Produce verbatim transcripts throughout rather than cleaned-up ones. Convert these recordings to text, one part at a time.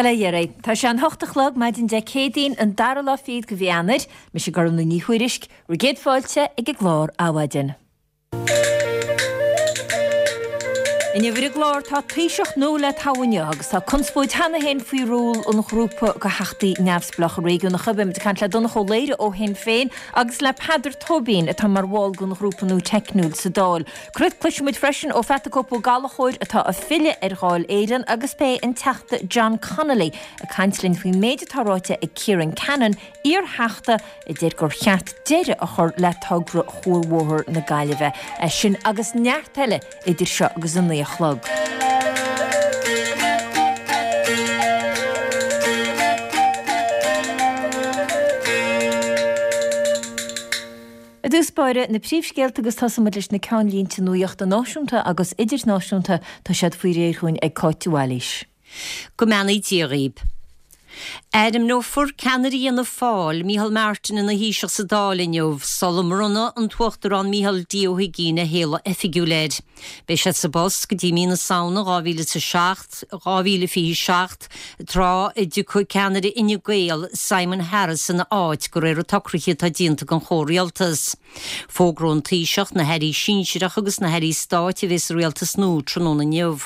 Bail ó Dhia oraibh. Tá sé an hocht a chlog maidin Dé Céadaoin, an dara lá fichead de mhí Eanáir. Mise Gormlaith Ní Thuairisg, bhur gcéad fáilte ag an gclár Adhmhaidin. Inniu ar an gclár tá Taoiseach nua le toghadh inniu agus tá conspóid cheana féin faoi ról an ghrúpa de theachtaí neamhspleácha réigiúnacha. Beimid ag caint le Donncha Ó Laoghaire ó Shinn Féin agus le Peadar Tóibín atá mar bhall den ghrúpa nua teicniúil sa Dáil. Cloisfidh muid freisin ó Pheata Cope Ó Gallchóir atá ag filleadh ar Dháil Éireann agus beidh an Teachta John Connolly ag caint linn faoin méid atá ráite ag Ciarán Cannon, iar-theachta, a deir gur cheart deireadh a chur le togra Chuarbhóthar na Gaillimhe. É sin agus neart eile idir seo agus a naoi a chlog. I dtús báire, na príomhscéalta agus tosóidh muid leis na ceannlínte nuachta náisiúnta agus idirnáisiúnta, tá siad faoi réir chugainn ag Cáit de Bhailís. Go mbeannaí Dia dhaoib. Ainmneofar ceannaire Fhianna Fáil, Micheál Martin ina Thaoiseach sa Dáil inniu, sula mbronna an tUachtarán Micheál D Ó hUigínn a shéala oifigiúil air. Beidh sé sa bpost go dtí mí na Samhna dhá mhíle is a seacht, dhá mhíle fiche seacht, tráth a dtiocfaidh ceannaire Fhine Gael, Simon Harris ina áit, de réir an tsocraithe atá déanta den chomhrialtas. Fógróidh an Taoiseach na hairí sinsearacha agus na hairí stáit a bheidh sa rialtas nua tráthnóna inniu.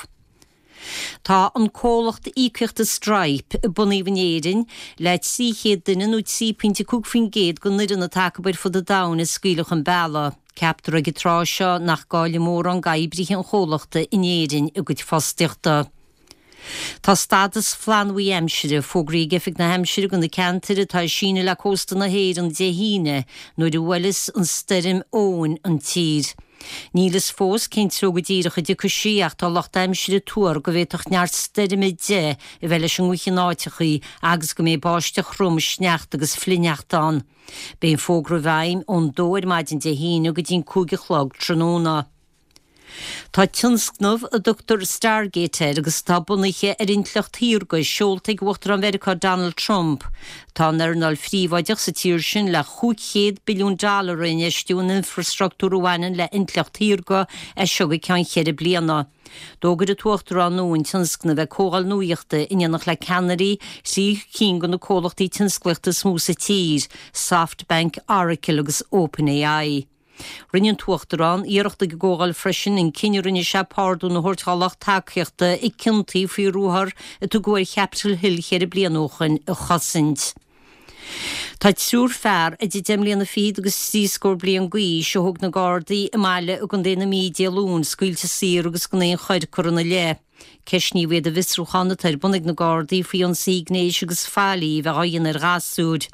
Tá an comhlacht íocaíochta Stripe, a bunaíodh in Éirinn, le trí chéad duine nó trí pointe cúig faoin gcéad den fhoireann atá acu ar fud an domhain a scaoileadh chun bealaigh. Ceaptar ag an tráth seo nach gcaillfidh mórán d'oibrithe an chomhlachta in Éirinn a gcuid fostaíochta. Tá stádas flannbhuí aimsire fógraithe ag Oifig na hAimsire do na ceantair atá ag síneadh le cósta na hÉireann Dé hAoine nuair a bhuailfeas an stoirm Eowyn an tír. Níl fhios fós cén treo go díreach a dtiocfaidh sí ach tá lucht aimsire ag tuar go bhféadfadh neart stoirme deich a bheith leis an ngaoth in áiteachaí agus go mbeidh báisteach throm, sneachta agus flichshneachta ann. Beidh an fógra i bhfeidhm ón dó ar maidin Dé hAoine go dtí'n cúig a chlog tráthnóna. Tá tionscnamh a dtugtar Stargate air agus atá bunaithe ar intleacht shaorga seolta ag Uachtarán Mheiriceá Donald Trump. Tá an earnáil phríobháideach sa tír sin le chúig chéad billiún dollar a infheistiú in infreastruchtúr a bhaineann le intleacht shaorga as seo go ceann cheithre bliana. D'fhógair an tUachtarán nua an tionscnamh ag comhdháil nuachta in éineacht le ceannairí thrí cinn de na comhlachtaí tionsclaíochta is mó sa tír, SoftBank, Oracle agus OpenAI. Rinne an tUachtarán iarracht ag an gcomhdháil freisin an cinneadh a rinne sé pardún a thabhairt dá lucht tacaíochta a ciontaíodh faoi ruathar a tugadh ar Chapitol Hill cheithre bliana ó shoin a chosaint. Tá triúr fear idir deich mbliana fichead agus trí scór bliain d'aois a thóg na Gardaí i mbaile i gContae na Mí Dé Luain scaoilte saor agus gan aon choir curtha ina leith. Ceistníodh iad i bhfiosrúchán atá ar bun ag na Gardaí faoi ionsaí gnéis agus faillí a bheith á dhéanamh ar ghasúir.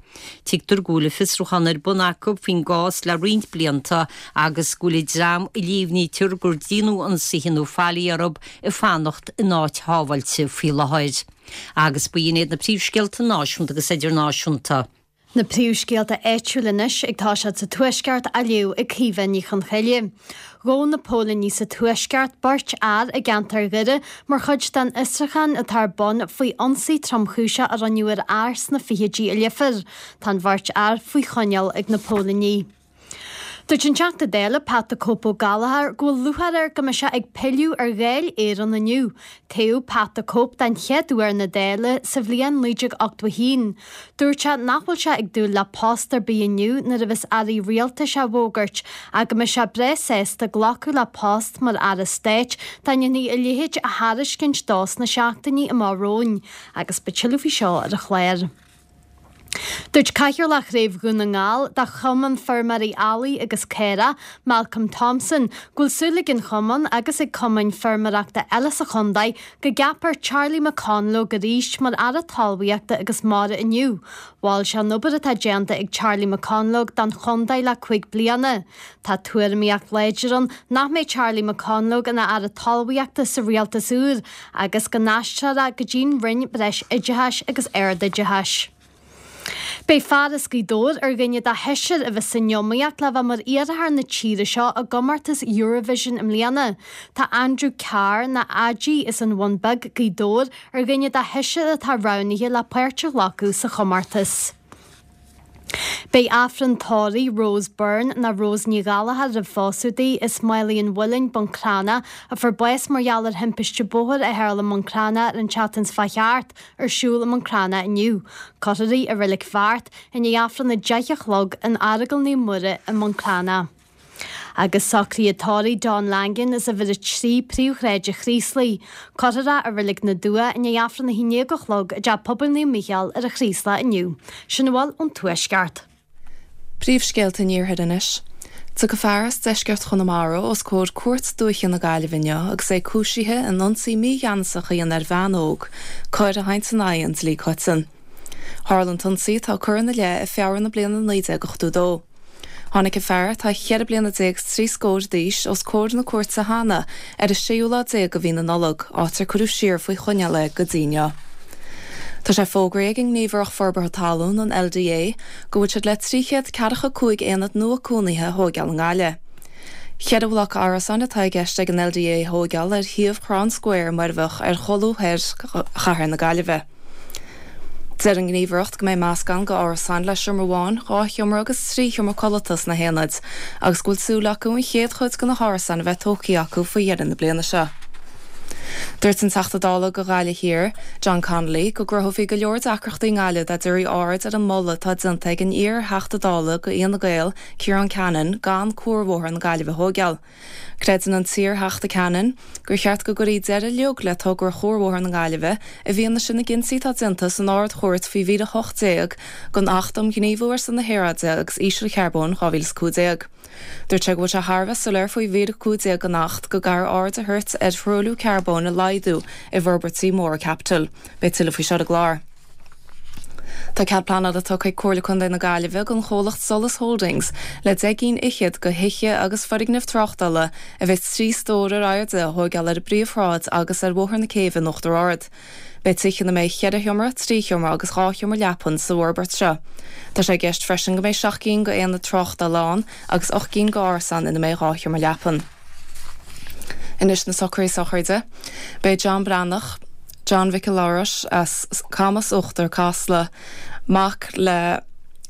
Tuigtear go bhfuil an fiosrúchán ar bun acu faoin gcás le roinnt blianta agus go bhfuil an dream a líomhnaítear gur déanadh ionsaithe nó faillí orthu ag fanacht in áit shábháilte faoi láthair. Agus ba shin iad na príomhscéalta náisiúnta agus idirnáisiúnta. Na príomhscéalta áitiúla anois ag toiseacht sa Tuaisceart á léamh ag Caoimhe Ní Chonchoille. Ghabh na póilíní sa Tuaisceart beirt fhear i gceantar Dhoire mar chuid den fhiosrúchán atá ar bun faoi ionsaí tromchúiseach a rinneadh ar fhear sna fichidí i Leifear. Tá an bheirt fhear faoi choinneáil ag na póilíní. Dúirt an Teachta Dála Pat 'The Cope' Ó Gallchóir go bhfuil lúcháir air go mbeidh sé ag pilleadh ar Dháil Éireann inniu. Toghadh Pat 'The Cope' den chéad uair na Dála sa bhliain naoi déag ochtó a haon. Dúirt sé nach bhfuil sé ag dúil le post ar bith inniu nuair a bheas airí rialtais á bhfógairt ach go mbeidh sé breá sásta glacadh le post mar Aire Stáit dá ndéanfaí a leithéid a thairiscint dó sna seachtainí amach romhainn agus beidh tuilleadh faoi seo ar an chlár. Dúirt Cathaoirleach Chraobh Dhún na nGall de Chumann Feirmeoirí Eallaigh agus Caorach, Malcolm Thompson, go bhfuil súil ag an chumann agus ag cumainn feirmeoireachta eile sa chontae go gceapfar Charlie McConalogue arís mar Aire Talmhaíochta agus Mara inniu. Mhol sé an obair atá déanta ag Charlie McConalogue don chontae le cúig bliana. Tá tuairimíocht láidir ann nach mbeidh Charlie McConalogue ina Aire Talmhaíochta sa rialtas úr agus go n-aistreofar é go dtí'n Roinn Breis Oideachais agus Ardoideachais. Beidh fear as Gaoth Dobhair ar dhuine de sheisear a bheas san iomaíocht le bheith mar iarrthóir na tíre seo i gcomórtas Eurovision i mbliana. Tá Andrew Carr, nó Aidí, as an Bhun Beag, Gaoth Dobhair, ar dhuine de sheisear atá roghnaithe le páirt a ghlacadh sa chomórtas. Beidh Aifreann tórraimh Rose Byrne ná Rose Ní Ghallchóir roimh phósadh di as Maolaí an Mhuilinn, Bun Cranncha, a fuair bás mar gheall ar thimpiste bóthair a tharla i mBun Cranncha ar an tseachtain seo chuaigh thart, ar siúl i mBun Cranncha inniu. Cuirfear í i Reilig Bheart i ndiaidh Aifreann a deich a chlog in Aireagal Naomh Muire i mBun Cranncha. Agus socruithe tórraimh Don Langan as uimhir a trí Príomhshráid an Chraoslaigh. Cuirfear é i Reilig na dTuath i ndiaidh Aifreann a haon déag a chlog i dTeach Pobail Naomh Mícheál ar an Chraoslach inniu. Sin a bhfuil ón Tuaisceart. Príomhscéalta an Iarthair anois. Tiocfaidh fear as deisceart Chonamara os comhair Cúirt Dúiche na Gaillimhe inniu agus é cúisithe in ionsaí mígheanasach a dhéanamh ar bhean óg, coir a théann in aghaidh an dlí coiteann. Tharla an t-ionsaí atá curtha ina leith i Feabhra na bliana naoi déag ochtó dó. Tháinig an fear atá cheithre bliana déag is trí scór d'aois os comhair na cúirte cheana ar an séú lá déag de mhí na Nollag, áit ar cuireadh siar faoi choinneáil é go dtí inniu. Tá sé fógraithe ag an nGníomhaireacht Forbartha Talún, an LDA, go bhfuil siad le trí chéad ceathracha cúig aonad nua cónaithe a thóigeáil i nGaillimh. Ceithre bhloc árasáin atá i gceist ag an LDA a thóigeáil ar shuíomh Chrann Square i Muirbheach ar cholbha thoir chathair na Gaillimhe. Deir an Ghníomhaireacht go mbeidh meascán de árasáin le seomra amháin, dhá sheomra agus trí sheomra codlata sna haonaid, agus go bhfuil súil acu an chéad chuid de na hárasáin a bheith tógtha acu faoi dheireadh na bliana seo. Dúirt an Teachta Dála do Ghaillimh Thiar, John Connolly, go gcruthófaí go leor deacrachtaí i nGaillimh dá dtabharfaí aird ar an moladh atá déanta ag an iar-Theachta Dála do Fhianna Gael, Ciarán Cannon, gan Cuarbhóthar na Gaillimhe a thóigeáil. Creideann an t-iar-Theachta Cannon gur cheart go gcuirfí deireadh uilig le togra Chuarbhóthar na Gaillimhe i bhfianaise na gcinntí atá déanta san Ard-Chúirt faoi mhír a hocht déag den Acht um Ghníomhú ar son na hAeráide agus Ísealcharbóin dhá mhíle is a cúig déag. Dúirt sé go bhfuil sé thar a bheith soiléir faoi mhír a cúig déag den Acht go gcaithfear aird a thabhairt ar thruailliú carbóin a laghdú i bhforbairtí móra caipitil. Beidh tuilleadh faoi seo ar an gclár. Tá cead pleanála tugtha ag Comhairle Contae na Gaillimhe don chomhlacht Solas Holdings le deich gcinn fhichead de thithe agus foirgnimh tráchtála a bheidh trí stór ar airde a thóigeáil ar an bpríomhshráid agus ar Bhóthar na Céibhe in Uachtar Ard. Beidh tithe ina mbeidh ceithre sheomra, trí sheomra agus dhá sheomra leapan sa bhforbairt seo. Tá sé i gceist freisin go mbeidh seacht gcinn d'aonaid tráchtála ann agus ocht gcinn d'árasáin ina mbeidh dhá sheomra leapan. Anois na socruithe sochraide. Beidh John Breathnach, John Mhicil Labhrais as Camas Uachtar Casla, mac le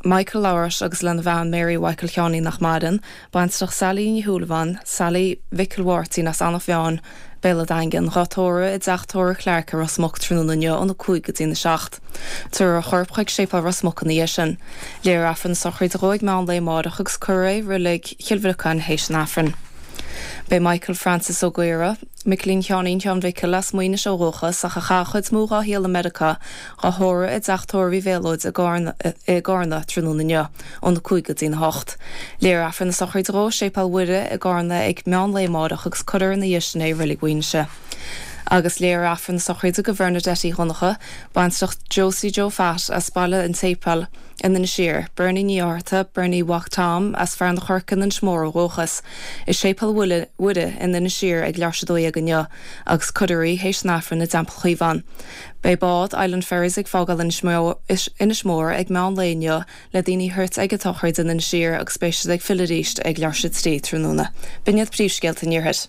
Michael Labhrais agus lena bhean Mary Mhichael Sheáinín nach maireann, baintreach Sally Ní Shúilleabháin, Sally Mhicil Mháirtín as Eanach Mheáin, Béal an Daingin, dhá tórramh i dteach tórraimh Clarke i Ros Muc tráthnóna inniu óna cúig go dtí na seacht. Tabharfar a chorp chuig Séipéal Ros Muc ina dhiaidh sin. Léifear Aifreann na sochraide dhó ag meán lae amárach agus cuirfear é i reilig Chill Bhriocáin théis an Aifrinn. Beidh Michael Francis Ó Gaora, Micilín Sheáinín Sheáin Mhicil as Maínis ó dhúchas ach a chaith an chuid is mó dá shaol i Meiriceá, dhá thórramh i dteach tórraimh Uí Mhéalóid i gCarna tráthnóna inniu, óna cúig go dtí na hocht. Léifear Aifreann na sochraide dhó i Séipéal Mhuire i gCarna ag meán lae amárach agus cuirfear ina dhiaidh sin é i Reilig Mhaínse. Agus léifear Aifreann na sochraide do Bhernadette Uí Dhonncha, baintreach Josie Joe Phat as Baile an tSéipéil in Inis Oírr, Bernie Ní Fhátharta, Bernie Mhac Tom as Fearann an Choirce in Inis Mór ó dhúchas, i Séipéal Mhuire in Inis Oírr ag leathuair tar éis a dó dhéag inniu agus cuirfear í théis an Aifrinn i dTeampall Chaomhán. Beidh bád Island Ferries ag fágáil Inis Mór ag meán lae inniu le daoine a thabhairt ag an tsochraid in Inis Oírr agus beidh siad ag filleadh arís ag leathuair tar éis a trí tráthnóna. B'in iad príomhscéalta an Iarthair.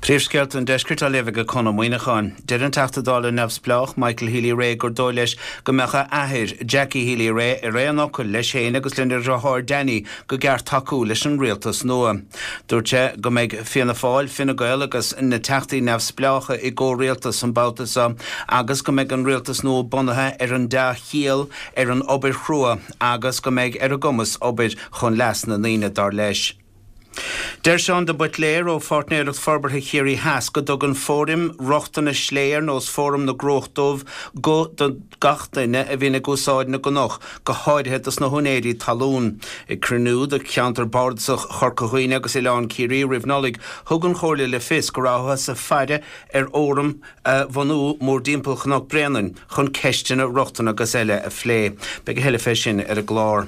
Príomhscéalta an Deiscirt á léamh ag Conn Ó Muíneacháin. Deir an Teachta Dála neamhspleách Michael Healy-Rae gur dóigh leis go mbeadh a athair, Jackie Healy-Rae, ar aon fhocal leis féin agus lena dheartháir Danny gur ceart tacú leis an rialtas nua. Dúirt sé go mbeidh Fianna Fáil, Fine Gael agus na teachtaí neamhspleácha i gcomhrialtas an babhta seo agus go mbeidh an rialtas nua bunaithe ar an dea-chiall, ar an obair chrua agus go mbeidh ar a gcumas obair chun leas na ndaoine dar leis. Deir Seán de Buitléir ó Pháirtnéireacht Forbartha Chiarraí Theas go dtugann fóraim rochtana slé ar nós Fóram na gCruach Dubh guth do gach duine a bhíonn ag úsáid na gcnoc, go háirithe dos na húinéirí talún. Ag cruinniú de cheantar bardasach Chorca Dhuibhne agus Oileán Ciarraí roimh Nollaig, thug an Chomhairle le fios go rabhthas ag faire ar fhóram a bhunú mórthimpeall Chnoc Bréanainn chun ceisteanna rochtana agus eile a phlé. Beidh a thuilleadh fé sin ar an gclár.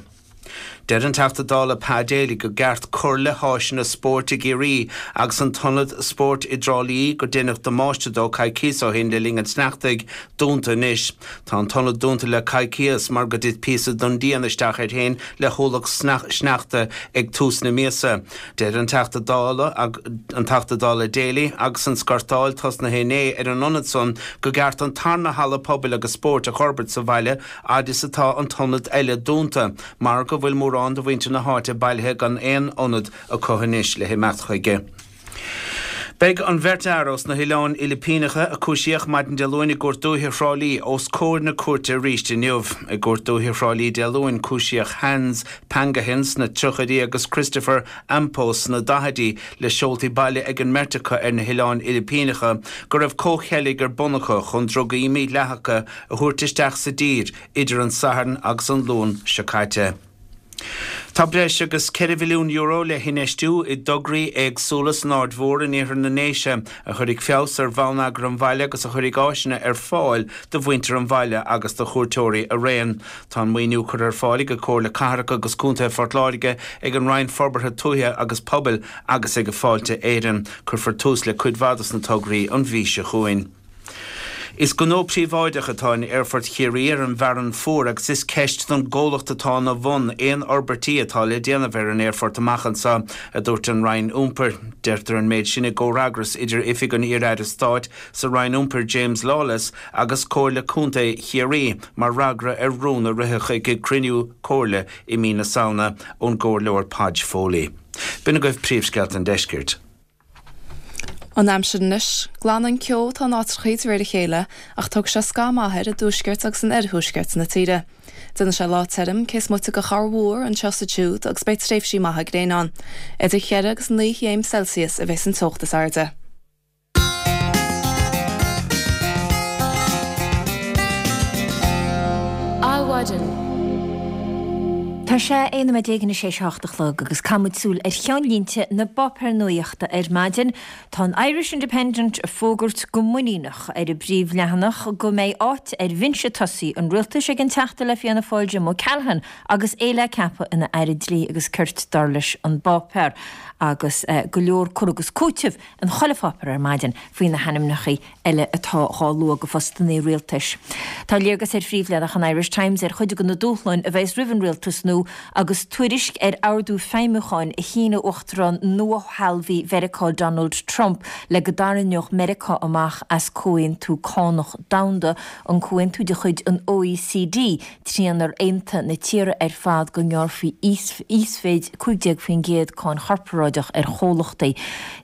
Deir an Teachta Dála Pa Daly gur ceart cur le háiseanna spóirt i gCiarraí agus an t-ionad spóirt i dTrá Lí gur deineadh damáiste dó coicíos ó shin le linn an tsneachtaidh dúnta anois. Tá an t-ionad dúnta le coicíos mar gur thit píosa den díon isteach air féin le hualach sneachta ag tús na míosa. Deir an Teachta Dála an Teachta Dála Daly agus an scartáil tosnaithe inné ar an ionad san gur ceart an tarna halla pobail agus spóirt a fhorbairt sa bhaile fhad is atá an t-ionad eile dúnta mar go bhfuil mórán de mhuintir na háite bailithe gan aon ionad acu anois le himeacht chuige. Beidh an bheirt fhear ós na hOileáin Fhilipíneacha a cúisíodh maidin Dé Luain i gCúirt Dúiche Thrá Lí os comhair na cúirte arís inniu. I gCúirt Dúiche Thrá Lí Dé Luain cúisíodh Hans Pangahin sna tríochaidí agus Christopher Ampo sna daichidí le seoltaí baile ag an mbeirt acu ar na hOileáin Fhilipíneacha go raibh comhcheilg ar bun acu chun drugaí mídhleathacha a thabhairt isteach sa dtír idir an Satharn agus an Luan seo caite. Tá breis agus ceithre mhilliún euro le hinfheistiú i dtograí éagsúla san Aird Mhór in iarthar na nDéise a chuirfidh feabhas ar bhonneagar an bhaile agus a chuirfidh áiseanna ar fáil do mhuintir an bhaile agus do chuairteoirí araon. Tá an maoiniú curtha ar fáil ag Comhairle Cathrach agus Contae Phort Láirge ag an Roinn Forbartha Tuaithe agus Pobail agus ag Fáilte Éireann. Cuirfear tús le cuid mhaith dos na tograí an mhí seo chugainn. Is gnó príobháideach atá in Aerfort Chiarraí ar an bhFearann Fuar agus is ceist don gcomhlacht atá ina bhun aon fhorbairtí atá le déanamh ar an aerfort amach anseo, a dúirt an Roinn Iompair. Deirtear an méid sin i gcomhfhreagras idir Oifig an Iar-Aire Stáit sa Roinn Iompair James Lawless agus Comhairle Contae Chiarraí mar fhreagra ar rún a ritheadh ag cruinniú comhairle i mí na Samhna ón gComhairleoir Podge Foley. B'in agaibh príomhscéalta an deiscirt. An aimsir anois, glanfaidh an ceo atá in áiteachaí de réir a chéile ach tógfaidh sé scáth maith air i dtuaisceart agus in oirthuaisceart na tíre. Déanfaidh sé lá tirim cé is moite de chorrmhúr anseo is ansiúd agus beidh tréimhsí maithe gréine ann. Idir cheithre agus naoi chéim Celsius a bheas an teocht is airde. Adhmhaidin. Tá sé aon nóiméad déag anois théis a hocht a chlog agus caithfidh muid súil ar cheannlínte na bpáipéar nuachta ar maidin. Tá an Irish Independent ag fógairt go muiníneach ar a bpríomhleathanach go mbeidh áit ar bhinse tosaigh an rialtais ag an Teachta le Fianna Fáil Jim O'Callaghan agus é le ceapadh ina Aire Dlí agus Cirt dar leis an bpáipéar agus go leor cur agus cúiteamh in chuile pháipéar ar maidin faoi na hainmneacha eile atá dhá lua go phostannaí rialtais. Tá léargas ar phríomhleathanach an Irish Times ar chuid de na dúshláin a bheas roimh an rialtas nua agus tuairisc ar ordú feidhmiúcháin a shínigh Uachtarán nua-shealbhaithe Mheiriceá Donald Trump le go dtarraingeodh Meiriceá amach as Comhaontú Cánach Domhanda, an comhaontú de chuid an OECD trínar aontaigh na tíortha ar fad go ngearrfaí íosmhéid cúig déag faoin gcéad cáin chorparáideach ar chomhlachtaí.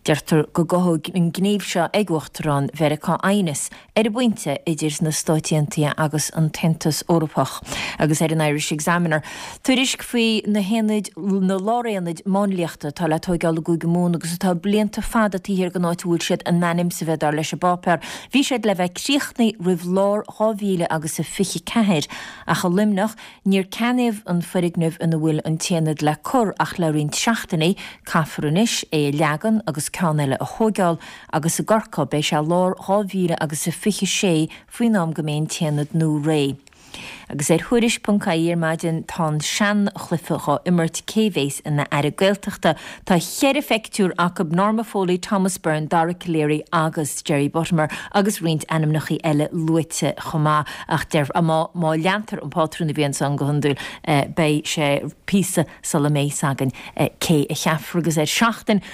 Deirtear go gcothóidh an gníomh seo ag Uachtarán Mheiriceá aighneas ar an bpointe idir na Stáit Aontaithe agus an tAontas Eorpach. Agus ar an Irish Examiner, tuairisc faoi na haonaid, na láraonaid máinliachta atá le tóigeáil i gCúige Mumhan agus atá blianta fada taobh thiar den áit a bhfuil siad in ainm is a bheith dar leis an bpáipéar. Bhí siad le bheith críochnaithe roimh lár dhá mhíle agus a fiche ceathair ach i Luimneach níor ceannaíodh an foirgneamh ina bhfuil an t-aonad le cur ach le roinnt seachtainí. Caithfear anois é a leagan agus ceann eile a thóigeáil agus i gCorcaigh beidh sé lár dhá mhíle agus a fiche sé faoin am go mbeidh an t-aonad nua réidh. Agus ar Thuairisc ponc ie ar maidin tá an seanchluiche dhá imirt cé bhéas ina Aire Gaeltachta. Tá cheithre phictiúr acu, Norma Foley, Thomas Byrne, Dara Calleary agus Jerry Buttimer agus roinnt ainmneacha eile luaite chomh maith ach deir má má leantar an pátrún a bhí ansan go hiondúil beidh sé píosa sula mbeidh 's againn cé a cheapfar agus ar Seachtain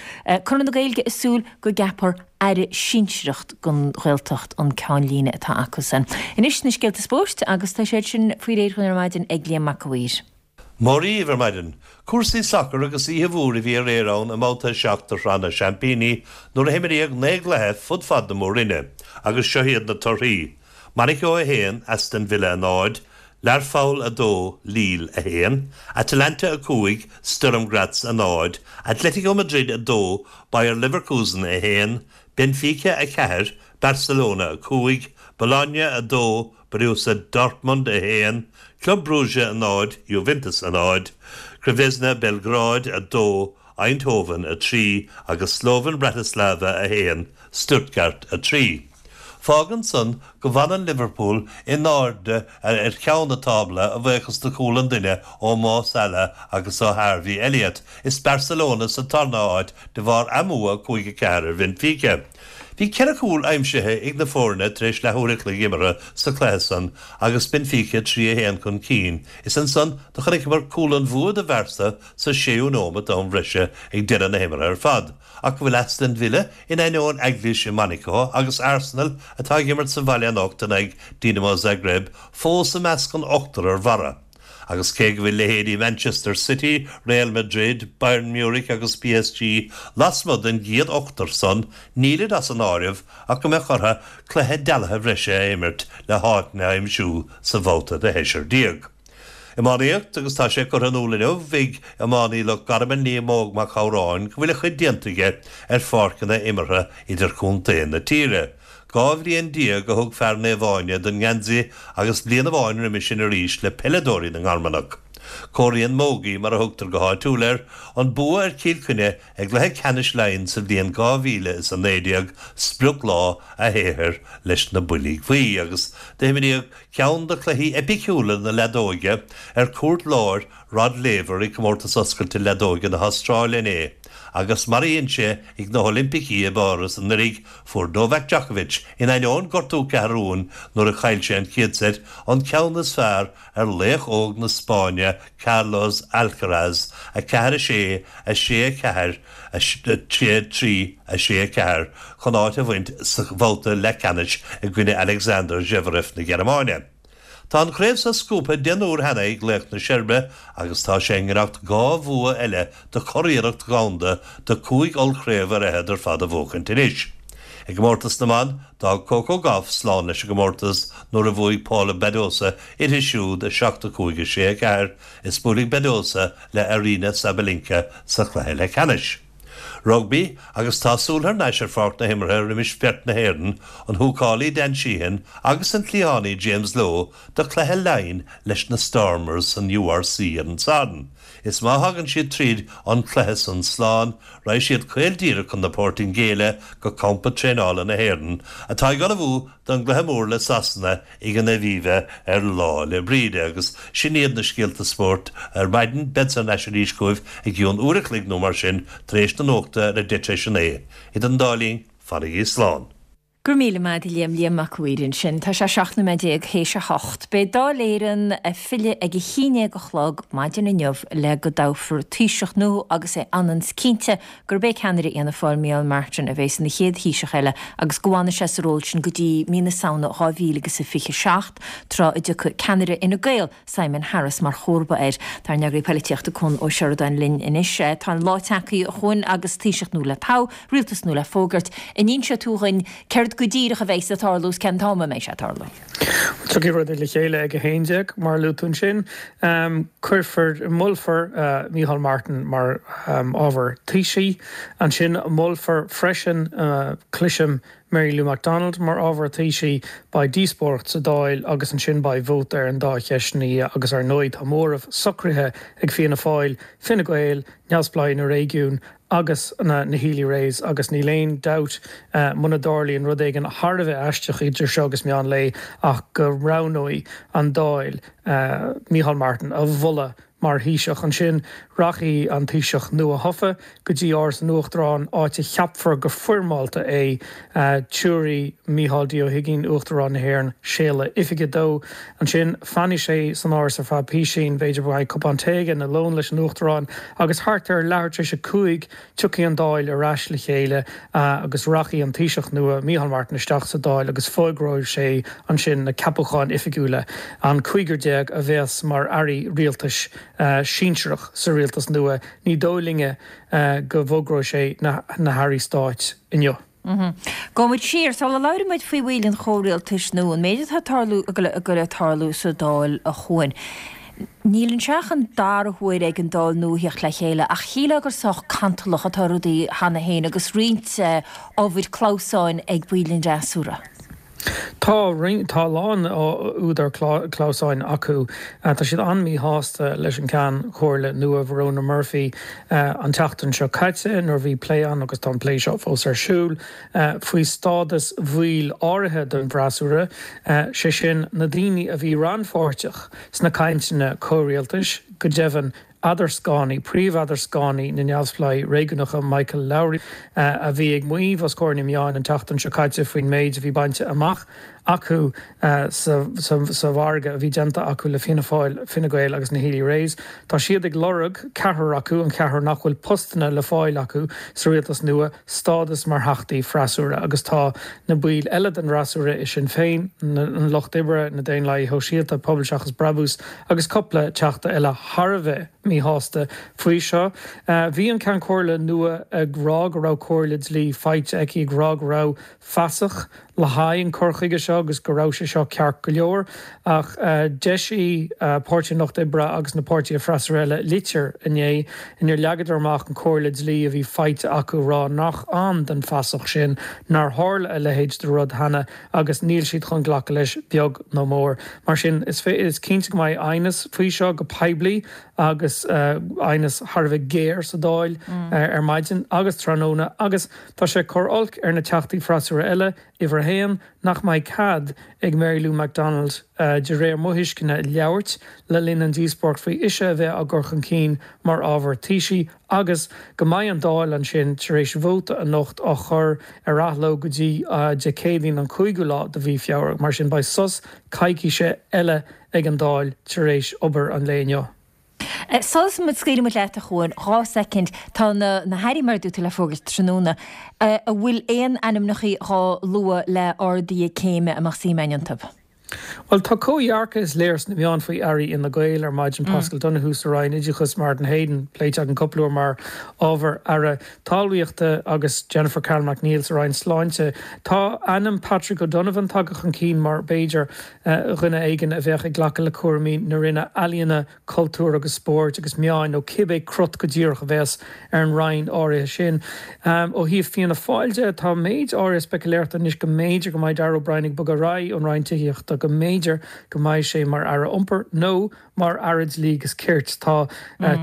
Conradh na Gaeilge ag súil go gceapfar Aire sinsearach don Ghaeltacht an ceannlíne atá acusan. Anois na scéalta spóirt agus tá siad sin faoi réir dhúinn ar maidin ag Liam Mac a' Mhaoir. Mora dhaoibh ar maidin. Cúrsaí sacair agus oíche mhór a bhí aréir ann i mbabhta a seacht de Shraith na Seaimpíní nuair a himríodh naoi gcluiche fud fad na Mór-Roinne agus seo iad na torthaí, Monaco a haon, Aston Villa a náid, Learpholl a dó, Lille a haon, Atalanta a cúig, Sturm Graz a náid, Atletico Madrid a dó, Bayer Leverkusen a haon, Benfica a ceathair, Barcelona a cúig, Bologna a dó, Borussia Dortmund a haon, Club Brugge a náid, Juventus a náid, Crvena Belgrád a dó, Eindhoven a trí agus Slovan Bratislava a haon, Stuttgart a trí. Fágann san go bhfanann Liverpool in airde ar cheann an tábla a bhuíochas do chúl an duine ó Mo Salah agus ó Harvey Elliott. Is Barcelona sa tarna háit de bharr a mbua cúig a ceathair ar Benfica. Bhí ceithre chúl aimsithe ag na foirne tar éis leathuair a chloig imeartha sa chluiche san agus Benfica trí a haon chun cinn. Is ansan do chonaiceamar cúl an bhua do Bharca sa séú nóiméad d'am breise ag deireadh na himeartha ar fad. Ach go bhfuil Aston Villa in ainneoin eaglais i Monaco agus Arsenal atá ag imirt sa bhaile anocht in aghaidh Dinamo Zagreb fós i measc an ochtar ar bharra. Agus cé go bhfuil leithéidí Manchester City, Real Madrid, Bayern Munich agus PSG lasmuigh den gcéad ochtar san, nílid as an áireamh ach go mbeadh orthu cluiche dealaithe bhreise a imirt le háit a aimsiú sa bhabhta de sheisear déag. Iománaíocht agus tá sé curtha in iúl inniu ag iománaí Loch Garman Liam Óg Mac Shamhráin go bhfuil a chuid déanta aige ar pháirceanna imeartha idirchontae na tíre. Dhá bhliain déag a thug fear Naomh Áine don ngeansaí agus bliain amháin roimhe sin arís le peileadóirí na nGarmanach. Comhairíonn Mógaí, mar a thugtar go háitiúil air, an bua ar Chill Chainnigh i gcluiche ceannais Laighean sa bhliain dhá mhíle is a naoi déag sprioclá a shaothair leis na Builí Buí agus d'imríodh ceann de chluichí eipiciúla na leadóige ar chúirt láir Rod Laver i gComórtas Oscailte Leadóige na hAstráile inné agus mar a dhein sé ag na hOilimpicí i bPáras anuraidh, fuair Novak Djokovic, in ainneoin gortú ceathrún nuair a chaill sé an chéad seit, an ceann is fearr ar laoch óg na Spáinne Carlos Alcaraz, a ceathair a sé, a sé a ceathair, a sé a trí, a sé a ceathair, chun áit a bhaint sa bhabhta leathcheannais i gcoinne Alexander Zverev na Gearmáine. Tá an chraobh seo scuabtha deich n-uair cheana ag laoch na Seirbe agus tá sé i ngiorracht dhá bhua eile do churiarracht dhomhanda de chúig ollchraobh ar fhichead ar fad a bhuachaint anois. I gcomórtas na mban, d'fhág Coco Gauff slán leis an gcomórtas nuair a bhuaigh Paula Badosa uirthi siúd a seacht a cúig a sé a ceathair is buailfidh Badosa le Aryna Sabalenka sa chluiche leathcheannais. Rugbaí agus tá súil thar n-ais ar pháirc na himeartha roimis bheirt na hÉireann, an húcálaí Dan Sheehan agus an cliathánaí James Lowe do chluiche Laighean leis na Stormers san URC ar an Satharn. Is má thagann siad tríd an cluiche san slán, raghaidh siad caol díreach chun na Portaingéile go campa traenála na hÉireann, atá ag ullmhú don gcluiche mór le Sasana ag an Aviva ar Lá 'le Bríde. Agus sin iad na scéalta spóirt ar maidin. Beadsa thar n-ais arís chugaibh i gcionn uair a chloig nó mar sin tar éis na nuachta ar a deich tar éis a naoi. Idir an dá linn, fanaigí slán. Go raibh míle maith agat a Liam, Liam Mac a' Mhaoir ansin. Tá sé seacht nóiméad déag théis a hocht. Beidh Dáil Éireann ag filleadh ag a haon déag a chlog maidin inniu le go dtoghfar Taoiseach nua agus é ionann 's cinnte gurb é ceannaire Fhianna Fáil Micheál Martin a bheas ina chéad Thaoiseach eile agus go bhfanfaidh sé sa ról sin go dtí mí na Samhna dhá mhíle agus a fiche seacht, tráth a dtiocfaidh ceannaire Fhine Gael, Simon Harris mar chomharba air. Tá ár n-eagraí poilitíochta Conn Ó Seireadáin linn anois. Tá an lá tagtha a Choinn agus Taoiseach nua le toghadh, rialtas nua le fógairt. An inseoidh tú dhuinn céard go díreach a bheas ag tarlú is cén t-am a mbeidh sé ag tarlú? Tiocfaidh rudaí le chéile ag a haon déag, mar a luaigh tú ansin. Cuirfear, molfar Micheál Martin mar ábhar Taoisigh. Ansin molfar freisin, cloisim, Mary Lou McDonald mar ábhar Taoisigh. Beidh díospóireacht sa Dáil agus ansin beidh vóta ar an dá cheist ina dhiaidh agus ar ndóigh tá móramh socraithe ag Fianna Fáil, Fine Gael, Neamhspleáigh na Réigiún agus na Healy-Raes agus níl aon dabht muna dtarlaíonn rud éigin thar a bheith aisteach idir seo agus meán lae ach go roghnóidh an Dáil Micheál Martin a mholadh mar Thaoiseach. Ansin rachaidh an Taoiseach nua-thofa go dtí Áras an Uachtaráin, áit a cheapfar go foirmeálta é. Tabharfaidh Micheál D. Ó hUigínn, Uachtarán na hÉireann, séala oifige dó. Ansin fanfaidh sé san Áras ar feadh písín, b'fhéidir beidh cupán tae aige nó lón leis an Uachtarán, agus thart ar leathuair tar éis a cúig tiocfaidh an Dáil ar ais le chéile agus rachaidh an Taoiseach nua, Micheál Martin, isteach sa Dáil agus fógróidh sé ansin na ceapacháin oifigiúla, an cúigear déag a bheas mar airí rialtais sinsearach sa rialtas nua. Ní dóigh linne go bhfógróidh sé na hairí stáit inniu. Gabhfaidh muid siar, sula labhraíonn muid faoi bhaill an chomhrialtais nua, an méid atá ag tarlú, ag goil ag tarlú sa Dáil a Chuain. Níl anseo ach an dara huair ag an Dáil nua theacht le chéile, ach shílfeá gur sách cantalach atá rudaí cheana féin agus roinnt ábhair clamhsáin ag baill an fhreasúra. Tá roinnt, tá a lán údar clamhsáin acu. Tá siad an-mhíshásta leis an Ceann Comhairle nua Verona Murphy an tseachtain seo caite nuair a bhí plé ann, agus tá an plé seo fós ar siúl, faoi stádas bhaill áirithe den bhfreasúra, sé sin na daoine a bhí rannpháirteach sna cainteanna comhrialtais, go deimhin eadarscánaí, príomh-eadarscánaí na Neamhspleáigh Réigiúnacha Michael Lowry, a bhí ag maíomh os comhair na meáin an tseachtain seo caite faoin méid a bhí bainte amach acu sa mhargadh a bhí déanta acu le Fianna Fáil, Fine Gael agus na Healy-Raes. Tá siad ag lorg, ceathrar acu, an ceathrar nach bhfuil postanna le fáil acu sa rialtas nua, stádas mar theachtaí freasúra agus tá na baill eile den fhreasúra i Sinn Féin, an Lucht Oibre, na Daonlathaithe Shóisialta, Pobal Seachas Brabús agus cupla teachta eile thar a bheith míshásta faoi seo. Bhí an Ceann Comhairle nua ag rá go raibh comhairle dlí faighte aici, ag rá go raibh fasach le haghaidh an cur chuige seo agus go raibh sé seo ceart go leor, ach d'eisigh Páirtí an Lucht Oibre agus na páirtithe freasúra eile litir inné inar leagadar amach an comhairle dlí a bhí faighte acu ag rá nach ann don fasach sin, nár tharla a leithéid de rud cheana agus níl siad chun glacadh leis beag nó mór. Mar sin, is cinnte go mbeidh aighneas faoi seo go poiblí agus aighneas thar a bheith géar sa Dáil ar maidin agus tráthnóna agus tá sé ag cur olc ar na teachtaí freasúra eile, uimhir a haon, nach mbeidh cead ag Mary Lou McDonald, de réir mo thuisceana, labhairt le linn an díospóireacht faoi ise a bheith á gcur chun cinn mar ábhar Taoisigh agus go mbeidh an Dáil ansin tar éis vóta anocht á chur ar athló go dtí Dé Céadaoin an cúigiú lá de mhí Feabhra. Mar sin beidh sos coicíse eile ag an Dáil tar éis obair an lae inniu. Sula scaoilfidh muid leat, a Chuain, dhá soicind, tá na na hairí mar a dúirt tú le fógairt tráthnóna. An bhfuil aon ainmneacha dhá lua le arduithe céime a mbeadh suim againn iontu? Bhuel, tá comhdhearcadh is léir sna meáin faoi airí Fhine Gael ar maidin, Paschal Donohoe sa Roinn Oideachais, Martin Heydon pléite againn cúpla uair mar ábhar Aire Talmhaíochta agus Jennifer Carroll MacNeill sa Roinn Sláinte. Tá ainm Patrick O'Donovan tagtha chun cinn mar b'fhéidir dhuine éigin a bheadh ag glacadh le cúraimí na Roinne Ealaíona, Cultúir agus Spóirt agus Meáin nó cibé crot go díreach a bheas ar an roinn áirithe sin. Ó thaobh Fianna Fáil de, tá méid áirithe speicealéireachta anois go mb'fhéidir go mbeidh Darragh O'Brien ag bogadh ar aghaidh ón Roinn Tithíochta, go mb'fhéidir go mbeidh sé mar Aire Iompair nó mar Aire Dlí agus Cirt. Tá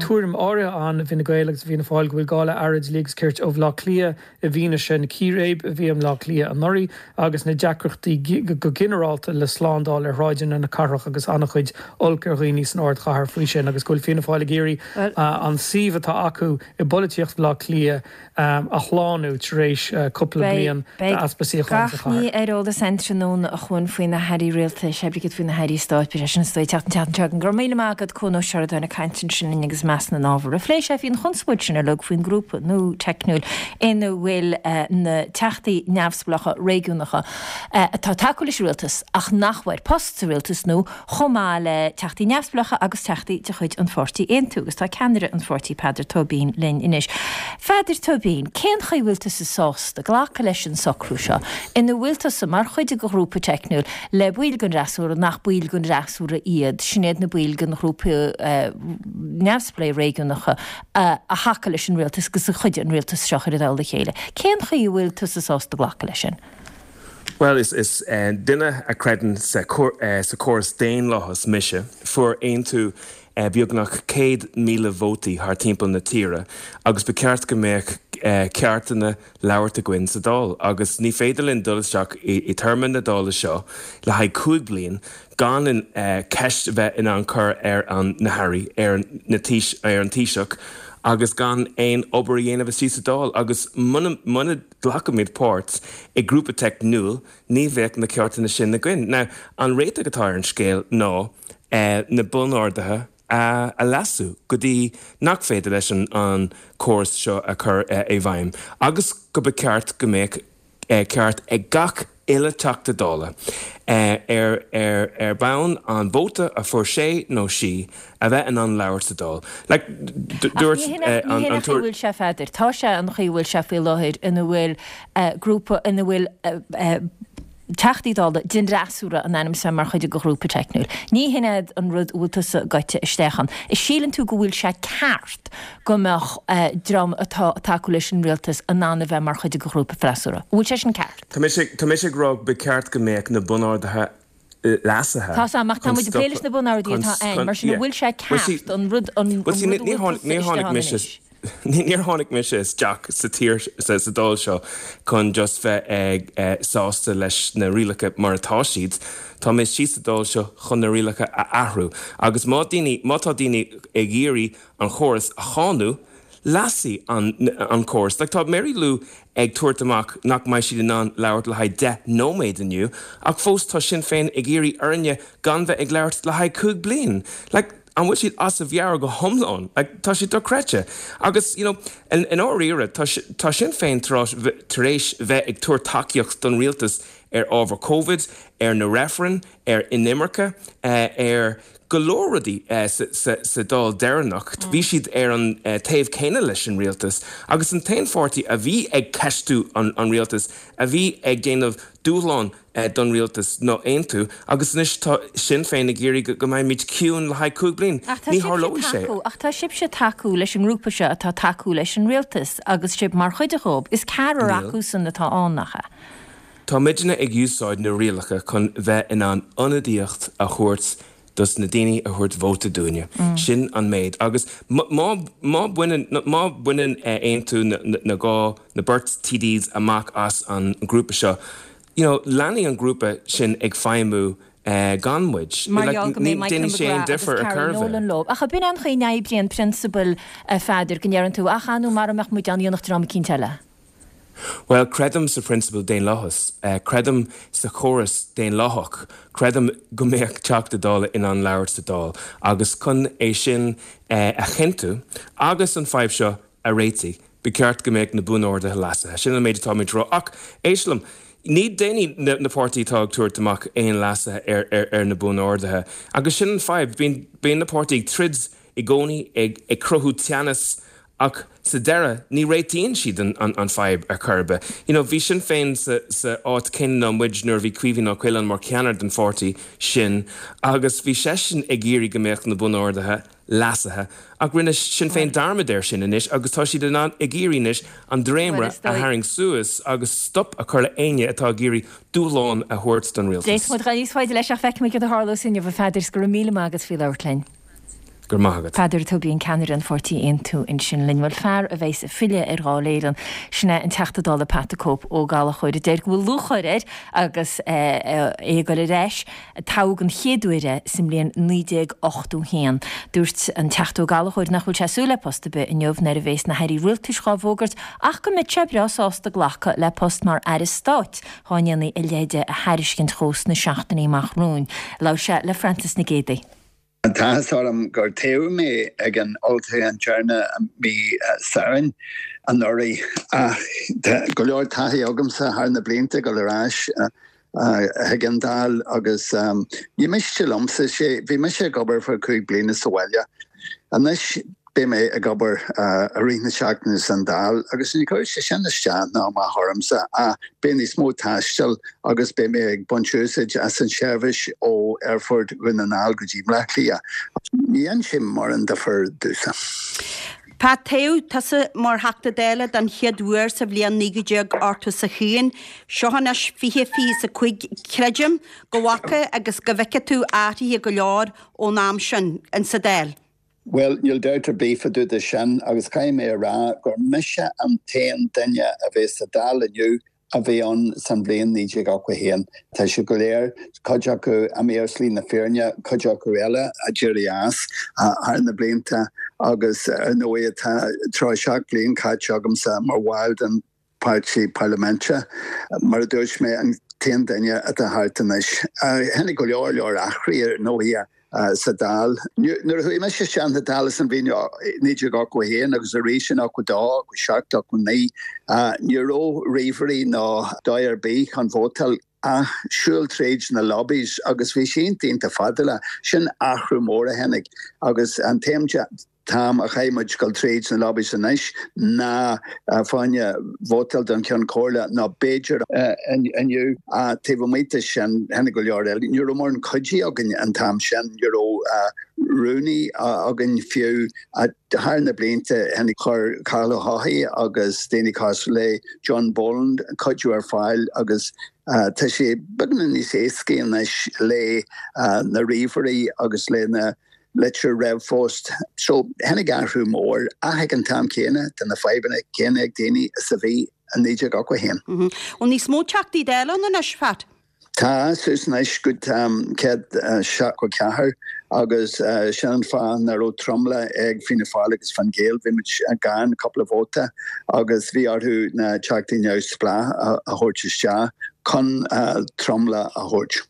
tuairim áirithe ann i bhFine Gael agus i bhFianna Fáil go bhfuil gá le Aire Dlí agus Cirt ó Bhaile Átha Cliath i bhfianaise na círéib a bhí i mBleá Cliath anuraidh agus na deacrachtaí go ginearálta le slándáil ar shráideanna na cathrach agus an-chuid olc ar dhaoine san ardchathair faoi sin agus go bhfuil Fianna Fáil ag iarraidh an suíomh atá acu i bpolaitíocht Bhaile Átha Cliath a shlánú tar éis cúpla bliain d'easpa suíochán sa chathair. Beidh gach ní ar eolas againn tráthnóna a Chuain faoi na hairí rialtais, oibrigh faoi na hairí stáit, beidh sé sin istigh teacht an tseachtain seo chugainn. Go raibh míle maith agat Cuan Ó Seireadáin ag caint ansin linn agus ag meas na n-ábhar a phléigh sé faoin chonspóid sin uilig faoin ngrúpa nua teicniúil ina bhfuil na teachtaí neamhspleácha réigiúnacha atá ag tacú leis an rialtas ach nach bhfuair post sa rialtas nua chomh maith le teachtaí neamhspleácha agus teachtaí de chuid an pháirtí Aontú agus tá ceannaire an pháirtí Peadar Tóibín linn anois. Pheadair Tóibín, cén chaoi bhfuil tusa sásta glacadh leis an socrú seo ina bhfuil tusa mar chuid de ghrúpa teicniúil le baill den fhreasúra nach baill den fhreasúra iad, sin iad na baill den ghrúpa neamhspleách réigiúnacha a thacaigh leis an rialtas agus a chuidigh an rialtas seo a chur i dtoll a chéile. Cén chaoi a bhfuil tusa sásta glacadh leis sin? Bhuel, is is duine a chreideann sa sa chóras daonlathas mise. Fuair Aontú beagnach céad míle vótaí thar timpeall na tíre agus ba cheart go mbeadh ceartanna labhairt againn sa Dáil agus ní féidir linn dul isteach i téarma na Dála seo le haghaidh cúig bliain gan an ceist a bheith in ann cur ar an na hairí, ar na ar an Taoiseach agus gan aon obair a dhéanamh istigh sa Dáil agus muna muna nglacaimid páirt i grúpa teicniúil ní bheadh na ceartanna sin againn. Now, an réiteach atá ar an scéal ná na bunorduithe a a leasú go dtí nach féidir leis an an córas seo a chur i bhfeidhm agus go ba cheart go mbeadh ceart ag gach uile Teachta Dála ar ar ar bhonn an vóta a fuair sé nó sí a bheith in ann labhairt sa Dáil. Like, dúirt an an Ní hin an chaoi bhfuil sé, a Pheadair. Tá sé an chaoi bhfuil sé faoi láthair ina bhfuil grúpa ina bhfuil Teachtaí Dála den fhreasúra in ainm is a bheith mar chuid de ghrúpa teicniúil. Ní hin é an rud a bhfuil tusa gaibhte isteach ann. An síleann tú go bhfuil sé ceart go mbeadh dream atá ag tacú leis an rialtas in ann a bheith mar chuid de ghrúpa freasúra? An bhfuil sé sin ceart? Tá mise tá mise ag rá ba cheart go mbeadh na bunorduithe leasaithe. Tá 's a'm ach tá muid ag plé leis na bunorduithe atá ann, mar sin an bhfuil sé ceart an rud an rud a bhfuil tusa isteach ann anois? Níor tháinig mise isteach sa tír, sa Dáil seo chun just bheith ag sásta leis na rialacha mar atá siad. Tá mé istigh sa Dáil seo chun na rialacha a athrú. Agus má daoine, má tá daoine ag iarraidh an chóras a cháineadh, leasaigh an an córas. Like tá Mary Lou ag tabhairt amach nach mbeidh siad in ann labhairt le haghaidh deich nóiméad inniu, ach fós tá Sinn Féin ag iarraidh orainne gan bheith ag labhairt le haghaidh cúig bliain. Like an bhfuil siad as a mheabhair go hiomlán? Like tá sé dochreidte. Agus you know i ndáiríre tá tá Sinn Féin tar tar éis bheith ag tabhairt tacaíocht don rialtas ar ábhar Covid, ar na reifrinn, ar inimirce, ar go leor rudaí sa Dáil deireanach. Bhí siad ar an taobh céanna leis an rialtas agus an t-aon pháirtí a bhí ag ceistiú an rialtas, a bhí ag déanamh dúshlán don rialtas ná Aontú agus anois tá Sinn Féin ag iarraidh go mbeimid ciúin le haghaidh cúig bliain. Ní tharlóidh sé. Ach tá sibhse ag tacú leis an ngrúpa seo atá ag tacú leis an rialtas agus sibh mar chuid dhóibh. Is ceathrar acusan atá ann, nach ea? Tá muidne ag úsáid na rialacha chun bheith in ann ionadaíocht a thabhairt dos na daoine a thabhairt vóta dúinne. Sin an méid. Agus má má bhaineann má bhaineann Aontú na dhá na beirt TDs amach as an grúpa seo, you know, leanfaidh an grúpa sin ag feidhmiú gan muid. Mar gheall go mbeidh Michael McGrath agus Carol Nolan leo. Ach ab in an chaoi a n-oibríonn prionsabail, a Pheadair, go ndeireann tú, ach an nó mara mbeadh muid ann dhéanfadh dream eicínt eile? Bhuel, creidim sa phrionsabal daonlathas. Creidim sa chóras daonlathach. Creidim go mbeadh Teachta Dála in ann labhairt sa Dáil agus chun é sin a chinntiú agus an fadhb seo a réitigh, ba cheart go mbeadh na buanorduithe leasaithe. Sin an méid atáimid ag rá. Ach éist liom, ní déanfaidh na páirtithe atá ag tabhairt amach aon leasuithe ar na buanorduithe. Agus sin an fadhb, bíonn na páirtithe ag troid i gcónaí, ag cruthú teannas Ach sa deireadh, ní réitíonn siad an fadhb ar chor ar bith. You know, bhí Sinn Féin sa sa áit céanna ná muid nuair a bhí Caoimhín Ó Coileáin mar cheannaire den pháirtí sin agus bhí seisean ag iarraidh go mbeadh na bunorduithe leasaithe ach rinne Sinn Féin dearmad air sin anois agus tá siad in ann ag iarraidh anois an dréimire a tharraingt suas agus stop a chur le éinne atá ag iarraidh dúshlán a thabhairt don rialtas. D'fhéadfadh muid dul níos faide leis ach feicfimid cad a tharlós inniu, a Pheadair, 's go raibh míle maith agat faoi labhairt linn. Go raibh maith agat. Peadar Tóibín, ceannaire an pháirtí Aontú ansin linn. Bhuel, fear a bheas ag filleadh ar Dháil Éireann, sin é an Teachta Dála Pat the Cope Ó Gallchóir, a deir go bhfuil lúcháir air agus é ag dul ar ais. Toghadh an chéad uair é sa mbliain naoi déag ochtó haon. Dúirt an Teachta Ó Gallchóir nach bhfuil sé ag súil le post ar bith inniu nuair a bheas na hairí rialtais dhá bhfógairt ach go mbeadh sé breá sásta glacadh le post mar aire stáit dhá ndéanfaí a leithéid a thairiscint dhó sna seachtainí amach romhainn. Labhair sé le Francis Nic Géadaigh. Tá an t-áthas orm gur toghadh mé ag an olltoghchán deireanach mí Samhain anuraidh ach tá go leor taithí agamsa thar na blianta ag dul ar ais chuig an Dáil agus ní miste liomsa sé. Bhí mise ag obair for cúig bliana sa bhaile. Anois beidh mé ag obair i rith na seachtaine san Dáil agus ní chuirfidh sé sin isteach ná amach ormsa ach beidh níos mó taistil agus beidh mé ag baint úsáid as an seirbhís ó Aerfort Dhún na nGall go dtí Bleá Cliath. Ní dhéanann sé mórán difear domhsa. Pat, toghadh tusa mar Theachta Dála den chéad uair sa bhliain naoi déag ochtó 's a haon. Seo anois fiche fiche 's a cúig. Creidim go bhfaca agus go bhfeice tú athruithe go leor ón am sin insa Dáil. Bhuel, níl dabht ar bith fá dtaobh de sin agus caithfidh mé a rá gur mise an t-aon duine a bheas sa Dáil inniu a bhí ann san bhliain naoi déag ochtó a haon. Tá siad go léir, cuid acu imithe ar shlí na fírinne, cuid acu eile a d'éirigh as thar na blianta agus ar ndóigh tá tríocha seacht bliain caite agamsa mar bhall den páirtí parlaiminte. Mar a dúirt mé, an t-aon duine atá thart anois. Tháinig go leor leor athruithe ar ndóigh sa Dáil. Nuair a chuaigh mise isteach sa Dáil san bhliain naoi déag ochtó a haon agus arís in ochtó dó, ochtó seacht, ochtó naoi, ní raibh ríomhairí ná dóigh ar bith chun vótáil ach siúl tríd na lobbies agus bhí sé iontach iontach fadálach. Sin athrú mór a tháinig agus an t-aon t-am a chaith muid dul tríd na lobbies anois ná fá choinne vótáil don Cheann Comhairle ná b'fhéidir inniu. Taobh amuigh de sin, tháinig go leor eile. Ní raibh mórán cuidiú againn an t-am sin, ní raibh rúnaí againn fiú. Thar na blianta tháinig chuir Cathal Ó hEochaidh agus daoine cosúil le John Boland cuidiú ar fáil agus tá sé beagnach níos éascaí anois le na ríomhairí agus le na litir ríomhphost. So tháinig athrú mór ach ag an t-am céanna tá na fadhbanna céanna ag daoine is a bhí i naoi déag ochtó a haon. Bhfuil níos mó Teachtaí Dála ann anois, Phat? Tá, suas anois go céad seachtó ceathair agus sin an fáth nach raibh tromlach ag Fianna Fáil agus Fine Gael, bhí muid gann cúpla vóta agus bhí orthu na Teachtaí Neamhspleách a thabhairt isteach chun tromlach a thabhairt.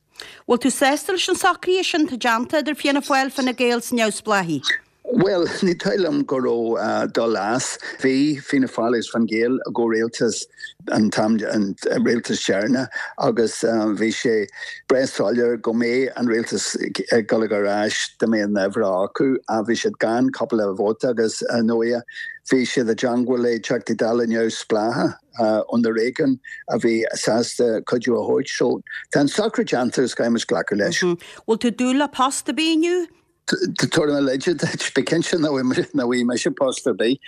Bhfuil tú sásta leis an socruithe sin atá déanta idir Fianna Fáil, Fine Gael 's Neamhspleáchaigh? Bhuel, ní dóigh liom go raibh dul as. Bhí Fianna Fáil agus Fine Gael i gcomhrialtas an t-am, an rialtas deireanach agus bhí sé breá soiléir go mbeadh an rialtas ag dul ar ais dá mbeadh an uimhir acu ach bhí siad gan cúpla vóta agus ar ndóigh bhí siad i dteangmháil le Teachtaí Dála neamhspleácha ó na réigiúin a bhí sásta cuidiú a thabhairt. So tá an socrú déanta agus caithfidh muid glacadh leis. Bhfuil tú ag dúil le post ar bith inniu? Tabharfaidh mé leide duit, bí cinnte nach bhfaighidh mise post ar bith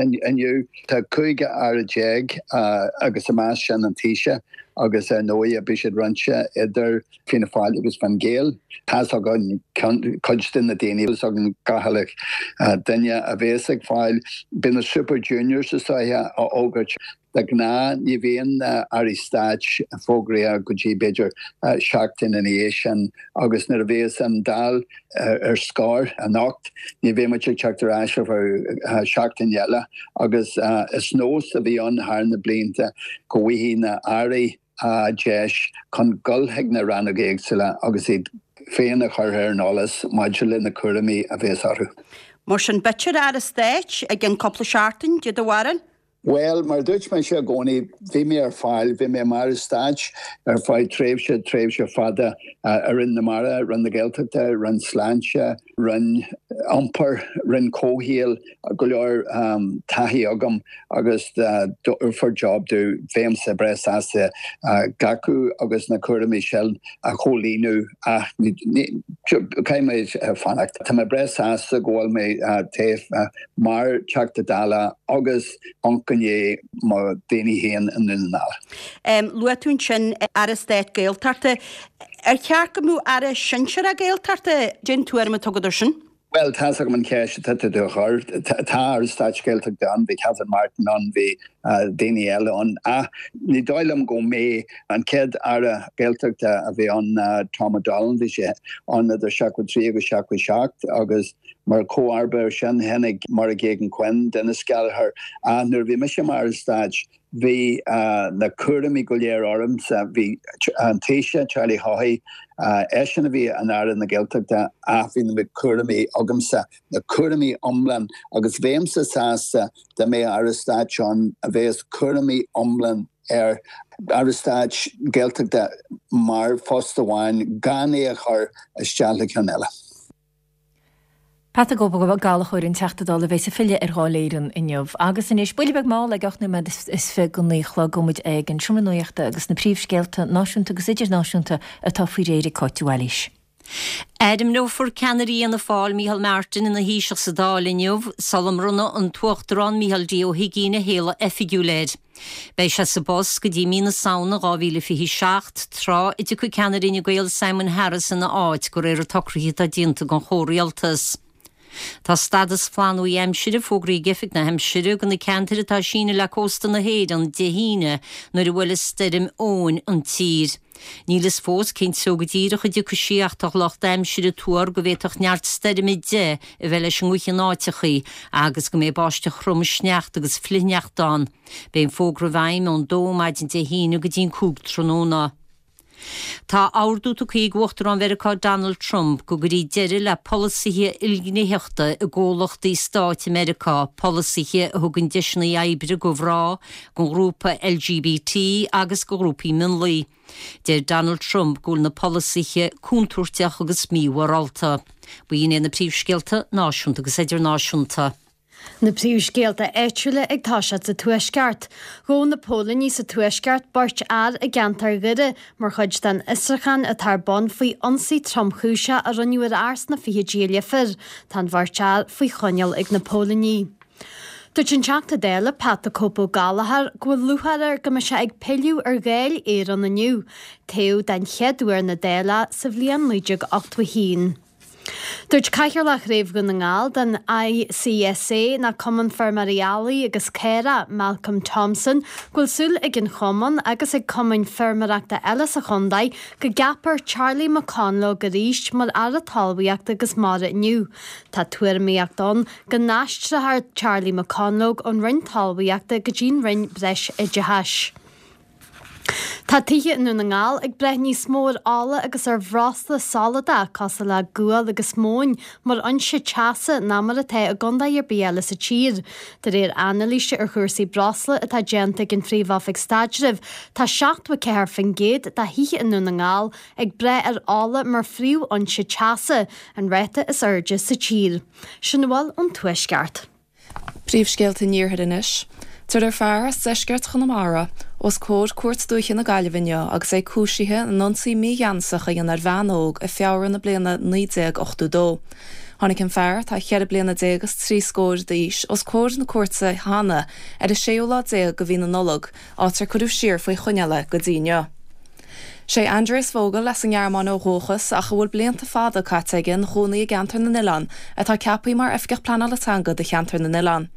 inniu. Tá cúig aire déag agus i measc sin an Taoiseach agus ar ndóigh beidh siad roinnte idir Fianna Fáil agus Fine Gael. Tá's againn cuid de na daoine, tá's againn gach uile duine a bhéas ag fáil. Beidh na Super Juniors is dóiche á fhógairt. De ghnáth ní bhíonn na Airí Stáit fógraithe go dtí b'fhéidir seachtain ina dhiaidh sin agus nuair a bhéas an Dáil ar scor anocht ní bheidh muid ag teacht ar ais ar feadh seachtain eile agus is nós a bhí ann thar na blianta go bhfaighidh na hAirí deis chun dul chuig na rannóga éagsúla agus iad féin a chur ar an eolas maidir le na cúraimí a bhéas orthu. Mar sin b'fhéidir Aire Stáit i gceann cúpla seachtain, cad é do bharúil? Bhuel, mar a dúirt mise i gcónaí, bhí mé ar fáil, bhí mé mar Aire Stáit ar feadh tréimhse, tréimhse fada i Roinn na Mara, Roinn na Gaeltachta, Roinn Sláinte, Roinn Iompair, Roinn Comhshaoil, go leor taithí agam agus dá dtabharfar job domh, bheinnse breá sásta glacadh agus na cúraimí sin a chomhlíonadh ach caithfidh mé fanacht. Tá mé breá sásta go bhfuil mé taobh mar Teachta Dála agus amharc i ndiaidh mo dhaoine féin i nDún na nGall. Luaigh tú ansin Aire Stáit Gaeltachta. Ar cheart go mbeadh Aire Sinsearach Gaeltachta? Cén tuairim atá agat air sin? Bhuel, tá's agam an cheist atá tú a chur. Tá Aire Stáit Gaeltachta ann, bhí Catherine Martin ann, bhí daoine eile ann. Ach ní dóigh liom go mbeidh an chéad Aire Gaeltachta a bhí ann ná Tom O'Donnell, bhí sé ann idir seachtó trí agus seachtó seacht agus Mar chomharba air sin, tháinig Máire Geoghegan-Quinn, Denis Gallagher. Ach nuair a bhí mise mar Aire Stáit, bhí na cúraimí go léir ormsa. Bhí an Taoiseach, Charlie Haughey, eisean a bhí ina Aire na Gaeltachta ach bhí na cúraimí agamsa, na cúraimí iomlán agus bheinnse sásta dá mbeadh Aire Stáit ann a bheas cúraimí iomlán air. Aire Stáit Gaeltachta mar phost amháin gan é a chur isteach le ceann eile. Pat the Cope Ó Gallchóir, an Teachta Dála a bheas ag filleadh ar Dháil Éireann inniu. Agus anois, buille beag mall ag ocht nóiméad is fiche go naoi a chlog, gabhfaidh muid ag an Seomra Nuachta agus na príomhscéalta náisiúnta agus idirnáisiúnta atá faoi réir ag Cáit de Bhailís. Ainmneofar ceannaire Fhianna Fáil, Micheál Martin, ina Thaoiseach sa Dáil inniu, sula mbronnfaidh an tUachtarán Micheál D. Ó hUigínn a shéala oifigiúil air. Beidh sé sa bpost go dtí mí na Samhna dhá mhíle fiche a seacht, tráth a dtiocfaidh ceannaire Fhine Gael Simon Harris ina áit, de réir an tsocraithe atá déanta den chomhrialtas. Tá stadas flannbhuí aimsire fógraithe ag Oifig na hAimsire do na ceantair atá ag síneadh le cósta na hÉireann Dé hAoine nuair a bhuailfidh Stoirm Eowyn an tír. Níl fhios fós cén treo go díreach a dtiocfaidh sí ach tá lucht aimsire ag tuar go bhféadfadh neart stoirme deich a bheith leis an ngaoth in áiteachaí agus go mbeidh báisteach throm, sneachta agus flichshneachta ann. Beidh an fógra i bhfeidhm ón dó maidin Dé hAoine go dtí an cúig tráthnóna. Tá ordú tugtha ag Uachtarán Mheiriceá Donald Trump go gcuirfí deireadh le polasaithe ilghnéitheachta i gcomhlachtaí stáit i Meiriceá, polasaithe a thugann deiseanna oibre do mhná, don ghrúpa LGBT agus do ghrúpaí mionlaigh. Deir Donald Trump go bhfuil na polasaithe contúirteach agus mímhorálta. B'in iad na príomhscéalta náisiúnta agus idirnáisiúnta. Na príomhscéalta áitiúla ag toiseacht sa Tuaisceart. Ghabh na póilíní sa Tuaisceart beirt fhear i gceantar Dhoire mar chuid den fhiosrúchán atá ar bun faoi ionsaí tromchúiseach a rinneadh ar fhear sna fichidí i Leifear. Tá an bheirt fhear faoi choinneáil ag na póilíní. Dúirt an Teachta Dála Pat the Cope Ó Gallchóir go bhfuil lúcháir air go mbeidh sé ag pilleadh ar Dháil Éireann inniu, toghadh den chéad uair na Dála sa bhliain naoi déag ochtó a haon. Dúirt Cathaoirleach Chraobh Dhún na nGall den ICSA, ná Cumann Feirmeoirí Eallaigh agus Caorach, Malcolm Thompson, go bhfuil súil ag an chumann agus ag cumainn feirmeoireachta eile sa chontae go gceapfar Charlie McConalogue arís mar Aire Talmhaíochta agus Mara inniu. Tá tuairimíocht ann go n-aistreofar Charlie McConalogue ón Roinn Talmhaíochta go dtí'n Roinn Breisoideachais. Tá tithe i nDún na nGall ag brath níos mó ar ola agus ar bhreosla soladach cosúil le gual agus móin mar fhoinse teasa ná mar atá i gcontae ar bith eile sa tír. De réir anailíse ar chúrsaí breosla atá déanta ag an Phríomh-Oifig Staidrimh, tá seachtó a ceathair faoin gcéad de thithe i nDún na nGall ag brath ar ola mar phríomhfhoinse teasa, an ráta is airde sa tír. Sin a bhfuil ón Tuaisceart. Príomhscéalta an Iarthair anois. Tabharfar fear as deisceart Chonamara os comhair Cúirt Dúiche na Gaillimhe inniu agus é cúisithe in ionsaí mígheanasach a dhein ar bhean óg i Feabhra na bliana naoi déag ochtó dó. Tháinig an fear, atá ceithre bliana déag is trí scór d'aois, os comhair na cúirte cheana ar an séú lá déag de mhí na Nollag, áit ar cuireadh siar faoi choinneáil é go dtí inniu. Sé Andreas Vogel as an nGearmáin ó dhúchas ach a bhfuil blianta fada caite aige ina chónaí i gCeantar na nOileán atá ceaptha mar Oifigeach Pleanála Teanga do Cheantar na nOileán.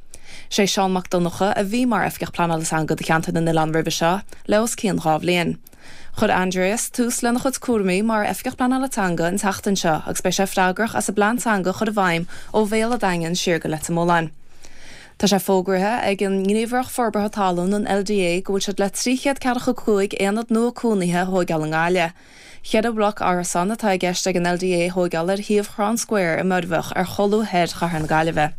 Sé Seán Mac Donncha a bhí mar Oifigeach Pleanála Teanga do Cheantar na nOileán roimhe seo le os cionn dhá bhliain. Chuir Andreas tús lena chuid cúraimí mar Oifigeach Pleanála Teanga an tseachtain seo agus beidh sé freagrach as an bplean teanga a chur i bhfeidhm ó Bhéal an Daingin siar go Leitir Mealláin. Tá sé fógraithe ag an nGníomhaireacht Forbartha Talún, an L D A, go bhfuil siad le trí chéad ceathracha cúig aonad nua cónaithe a thóigeáil i nGaillimh. Ceithre bhloc árasán atá i gceist ag an L D A a thóigeáil ar shuíomh Chrown Square i Muirbheach ar cholbha thoir chathair na Gaillimhe.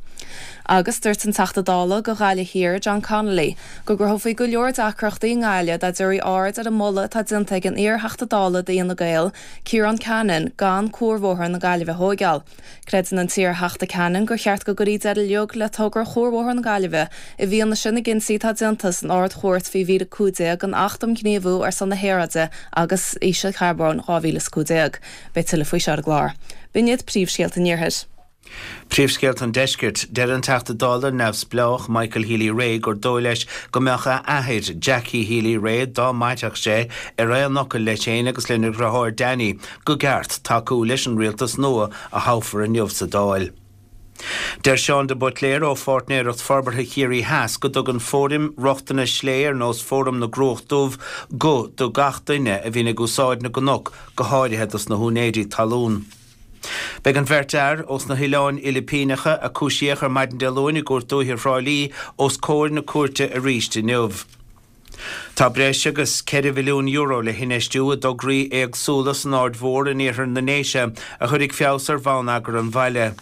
Agus dúirt an Teachta Dála do Ghaillimh Thiar, John Connolly, go gcruthófaí go leor deacrachtaí i nGaillimh dá dtabharfaí aird ar an moladh atá déanta ag an iar-Theachta Dála d'Fhine Gael, Ciarán Cannon, gan Cuarbhóthar na Gaillimhe a thóigeáil. Creideann an t-iar-Theachta Cannon gur cheart go gcuirfí deireadh uilig le togra Chuarbhóthar na Gaillimhe i bhfianaise na gcinntí atá déanta san Ard-Chúirt faoi mhír a cúig déag den Acht um Ghníomhú ar son na hAeráide agus Ísealcharbóin dhá mhíle is cúig déag. Beidh tuilleadh faoi seo ar an gclár. B'in iad príomhscéalta an Iarthair. Príomhscéalta an Deiscirt. Deir an Teachta Dála neamhspleách Michael Healy-Rae gur dóigh leis go mbeadh a athair, Jackie Healy-Rae, dá mairfeadh sé, ar aon fhocal leis féin agus lena dheartháir Danny go gceart tacú leis an rialtas nua a thoghfar inniu sa Dáil. Deir Seán de Buitléir ó Pháirtnéireacht Forbartha Chiarraí Theas go dtugann fóraim rochtana slé ar nós Fóram na gCruach Dubh guth do gach duine a bhíonn ag úsáid na gcnoc, go háirithe dos na húinéirí talún. Beidh an bheirt fhear ós na hOileáin Fhilipíneacha a cúisíodh ar maidin Dé Luain i gCúirt Dúiche Thrá Lí os comhair na cúirte arís inniu. Tá breis agus ceithre mhilliún euro le hinfheistiú i dtograí éagsúla san Aird Mhór in iarthar na nDéise a chuirfidh feabhas ar bhonneagar an bhaile.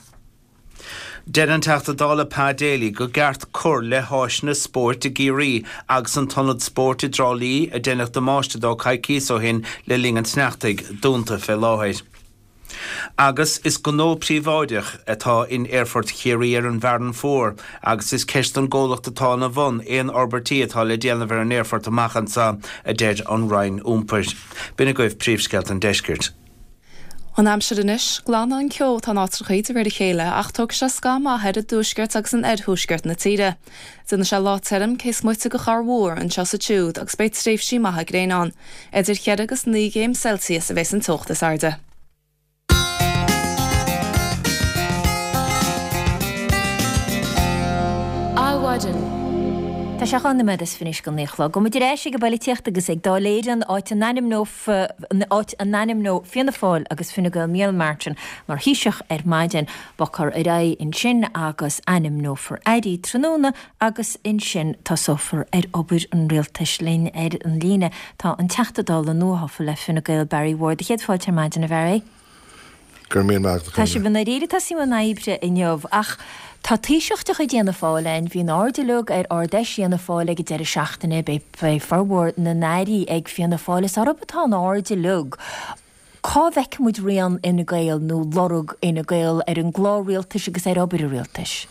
Deir an Teachta Dála Pa Daly go gceart cur le háiseanna spóirt i gCiarraí agus an t-ionad spóirt i dTrá Lí a deineadh damáiste dó coicíos ó shin le linn an tsneachtaidh, dúnta fé láthair. Agus is gnó príobháideach atá in Aerfort Chiarraí ar an bhFearann Fuar agus is ceist don gcomhlacht atá ina bhun aon fhorbairtí atá le déanamh ar an aerfort amach anseo, a deir an Roinn Iompair. B'in agaibh príomhscéalta an Deiscirt. An aimsir anois, glanfaidh an ceo atá in áiteacha de réir a chéile ach tógfaidh sé scaitheamh maith air i dtuaisceart agus in oirthuaisceart na tíre. Déanfaidh sé lá tirim cé is moite de chorrmhúr anseo is ansiúd agus beidh tréimhsí maithe gréine ann. Idir cheithre agus naoi gcéim Celsius a bheas an teocht is airde. Adhmhaidin. Tá sé dhá nóiméad is fiche go naoi a chlog. Gabhfaidh muid ar ais ag an bpolaitíocht agus ag Dáil Éireann, áit a áit a n-ainmneoidh Fianna Fáil agus Fine Gael Micheál Martin mar Thaoiseach ar maidin. Bogfar ar aghaidh ansin agus ainmneofar airí tráthnóna agus ansin tosófar ar obair an rialtais. Linn ar an líne tá an Teachta Dála nuathofa le Fine Gael Barry Ward. Céad fáilte ar maidin a Bharry. Go raibh míle maith agat. Tá sibh i ndáiríre ag tosú i mbun oibre inniu ach tá Taoiseach de chuid Fhianna Fáil ann. Bhí an aird uilig ar Ard-Fheis Fhianna Fáil ag an deireadh seachtaine. Beidh formhór na n-airí ag Fianna Fáil. Is oraibh atá an aird uilig. Cá bhfeicfidh muid rian Fhine Gael nó lorg Fhine Gael ar an gclár rialtais agus ar obair an rialtais?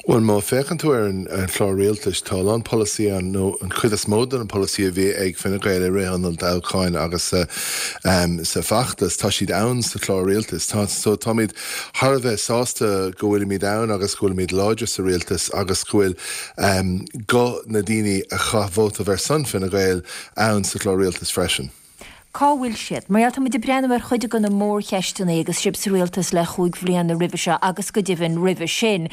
Bhuel, má féachann tú ar an chlár rialtais, tá a lán polasaí ann, nó an chuid is mó de na polasaí a bhí ag Fine Gael i rith an olltoghcháin agus sa feachtas, tá siad ann sa chlár rialtais. Tá, so táimid thar a bheith sásta go bhfuilimid ann agus go bhfuilimid láidir sa rialtas agus go bhfuil guth na daoine a chaith vóta ar son Fine Gael ann sa chlár rialtais freisin. Cá bhfuil siad? Mar gheall, tá muid ag breathnú ar chuid de na mórcheisteanna agus sibh sa rialtas le chúig bhliana roimhe seo agus go deimhin roimhe sin,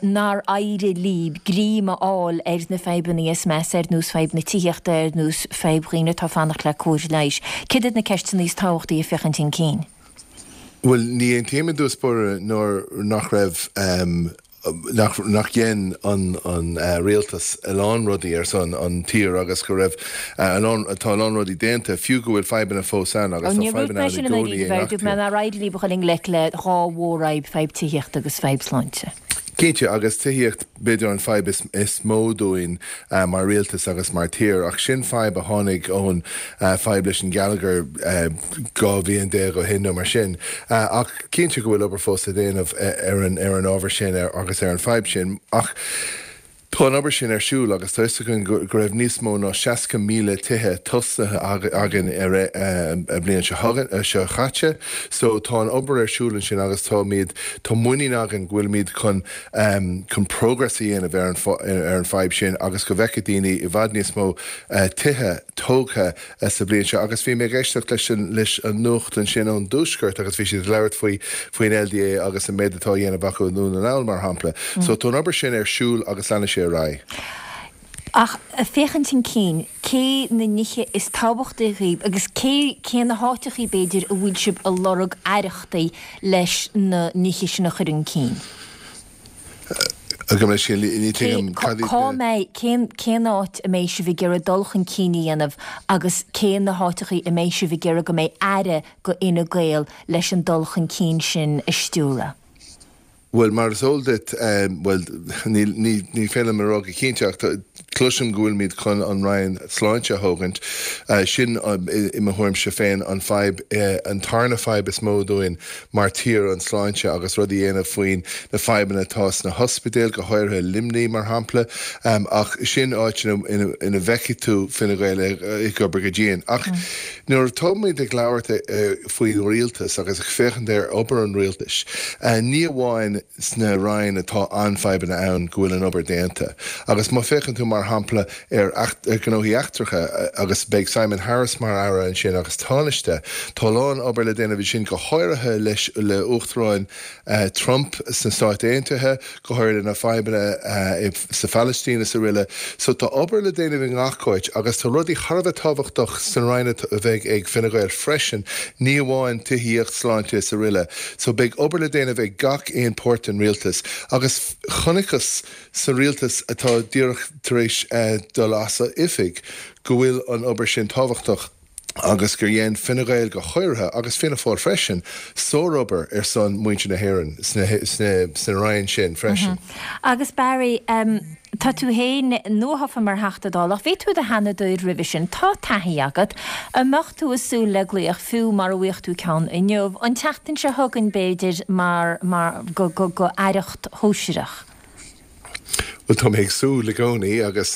nár éirigh libh greim a fháil ar na fadhbanna is measa, ar nós fadhb na tithíochta, ar nós fadhb dhaoine atá ag fanacht le cóir leighis. Céard iad na ceisteanna is tábhachtaí ag féachaint chun cinn? Bhuel, ní aontaím i dtús báire nuair nach raibh nach nach dhein an an rialtas a lán rudaí ar son an tír agus go raibh a lán tá a lán rudaí déanta fiú go bhfuil fadhbanna fós ann agus tá fadhbanna ann i gcónaí i ngach tír. Nár éirigh libh a dhul i ngleic le dhá mhórfhadhb, fadhb tithíochta agus fadhb sláinte. Cinnte, agus tithíocht b'fhéidir an fadhb is is mó dúinn mar rialtas agus mar tír, ach sin fadhb a tháinig ón fadhb leis an geilleagar dhá bhliain déag ó shin nó mar sin. Ach cinnte go bhfuil obair fós le déanamh ar an ar an ábhar sin agus ar an fadhb sin. Ach tá an obair sin ar siúl agus tá fhios againn go raibh níos mó ná seasca míle tithe tosaithe againn ar an bhliain seo chaite. So tá an obair ar siúl ansin agus táimid, tá muinín againn go bhfuilimid chun chun progress a dhéanamh ar an ar an fadhb sin agus go bhfeicfidh daoine i bhfad níos mó tithe tógtha sa bhliain seo. Agus bhí mé ag éisteacht leis an leis an nuacht ansin ón dTuaisceart agus bhí siad ag labhairt faoi faoin L D A agus an méid atá á dhéanamh acu i nDún na nGall mar shampla. So tá an obair sin ar siúl agus leanfaidh sé ar aghaidh. Ach féachaint chun cinn, cé na nithe is tábhachtaí dhaoibh agus cé cé na háiteachaí b'fhéidir a bhfuil sibh ag lorg aireachtaí leis na nithe sin a chur chun cinn? Gabh mo leithscéal, ní tuigim cad iad Cá na. mbeidh, cén cén áit a mbeidh sibh ag iarraidh dul chun cinn a dhéanamh agus cé na háiteachaí a mbeidh sibh ag iarraidh go mbeidh aire go Fhine Gael leis an dul chun cinn sin a stiúradh? Bhuel, mar is eol duit, bhuel, ní, ní, ní féidir liom a rá go cinnte ach cloisim go bhfuilimid chun an Roinn Sláinte a thógaint. Sin, i mo thuairimse féin, an fadhb, an tarna fadhb is mó dúinn mar tír, an sláinte agus rud a dhéanamh faoin na fadhbanna atá sna hospidéil, go háirithe Luimnigh, mar shampla. Ach sin áit ina, ina, ina bhfeicfidh tú Fine Gael ag obair go dian. Ach nuair atáimid ag labhairt faoin rialtas agus ag féachaint ar obair an rialtais, ní amháin sna roinn atá an-fhadhbanna ann go bhfuil an obair déanta. Agus má féachann tú mar shampla ar ghnóthaí eachtracha agus beidh Simon Harris mar aire ansin agus Tánaiste, tá a lán obair le déanamh ansin go háirithe leis le Uachtarán Trump sna Stáit Aontaithe, go háirithe na fadhbanna sa Phalaistín is araile. So tá obair le déanamh i ngach áit agus tá rudaí thar a bheith tábhachtach san roinn a bheidh ag Fine Gael freisin, ní amháin tithíocht, sláinte is araile. So beidh obair le déanamh ag gach aon páirt den rialtas agus chonacthas sa rialtas atá díreach tar éis dul as oifig go bhfuil an obair sin tábhachtach agus gur dhein Fine Gael go háirithe, agus Fianna Fáil freisin, sárobair ar son muintir na hÉireann sna roinn sin freisin. Agus Barry, tá tú féin nuathofa mar Theachta Dála, ach bhí tú i do Sheanadóir roimhe sin, tá taithí agat. An mbeadh tú ag súil le glaoch, fiú mara bhfaigheadh tú ceann inniu, an tseachtain seo chugainn b'fhéidir, mar, mar, go, go, go aireacht shóisearach? Bhuel, tá mé ag súil i gcónaí agus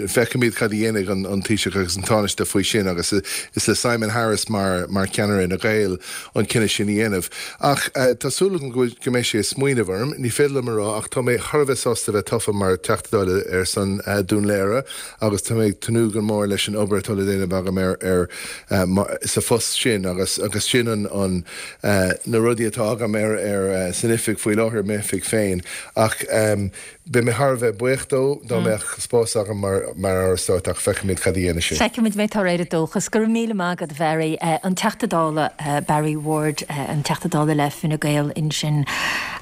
feicfimid cad a dhéanfaidh an Taoiseach agus an Tánaiste faoi sin agus is le Simon Harris mar mar cheannaire Fhine Gael an cinneadh sin a dhéanamh. Ach tá súil agam go go mbeidh sé ag smaoineamh orm. Ní féidir liom a rá ach tá mé thar a bheith sásta bheith tofa mar Teachta Dála ar son Dún Laoghaire agus tá mé ag tnúth go mór leis an obair atá le déanamh agam ar ar sa phost sin agus agus sin an an na rudaí atá agam ar ar san oifig faoi láthair, m'oifig féin. Ach beidh mé mé thar a bheith buíoch dó dá mbeadh spás agam mar mar Aire Stáit ach feicfimid cad a dhéanfaidh sé. Feicfimid mé tá réir dóchas go raibh míle maith agat Bharry an Teachta Dála Barry Ward an Teachta Dála le Fine Gael ansin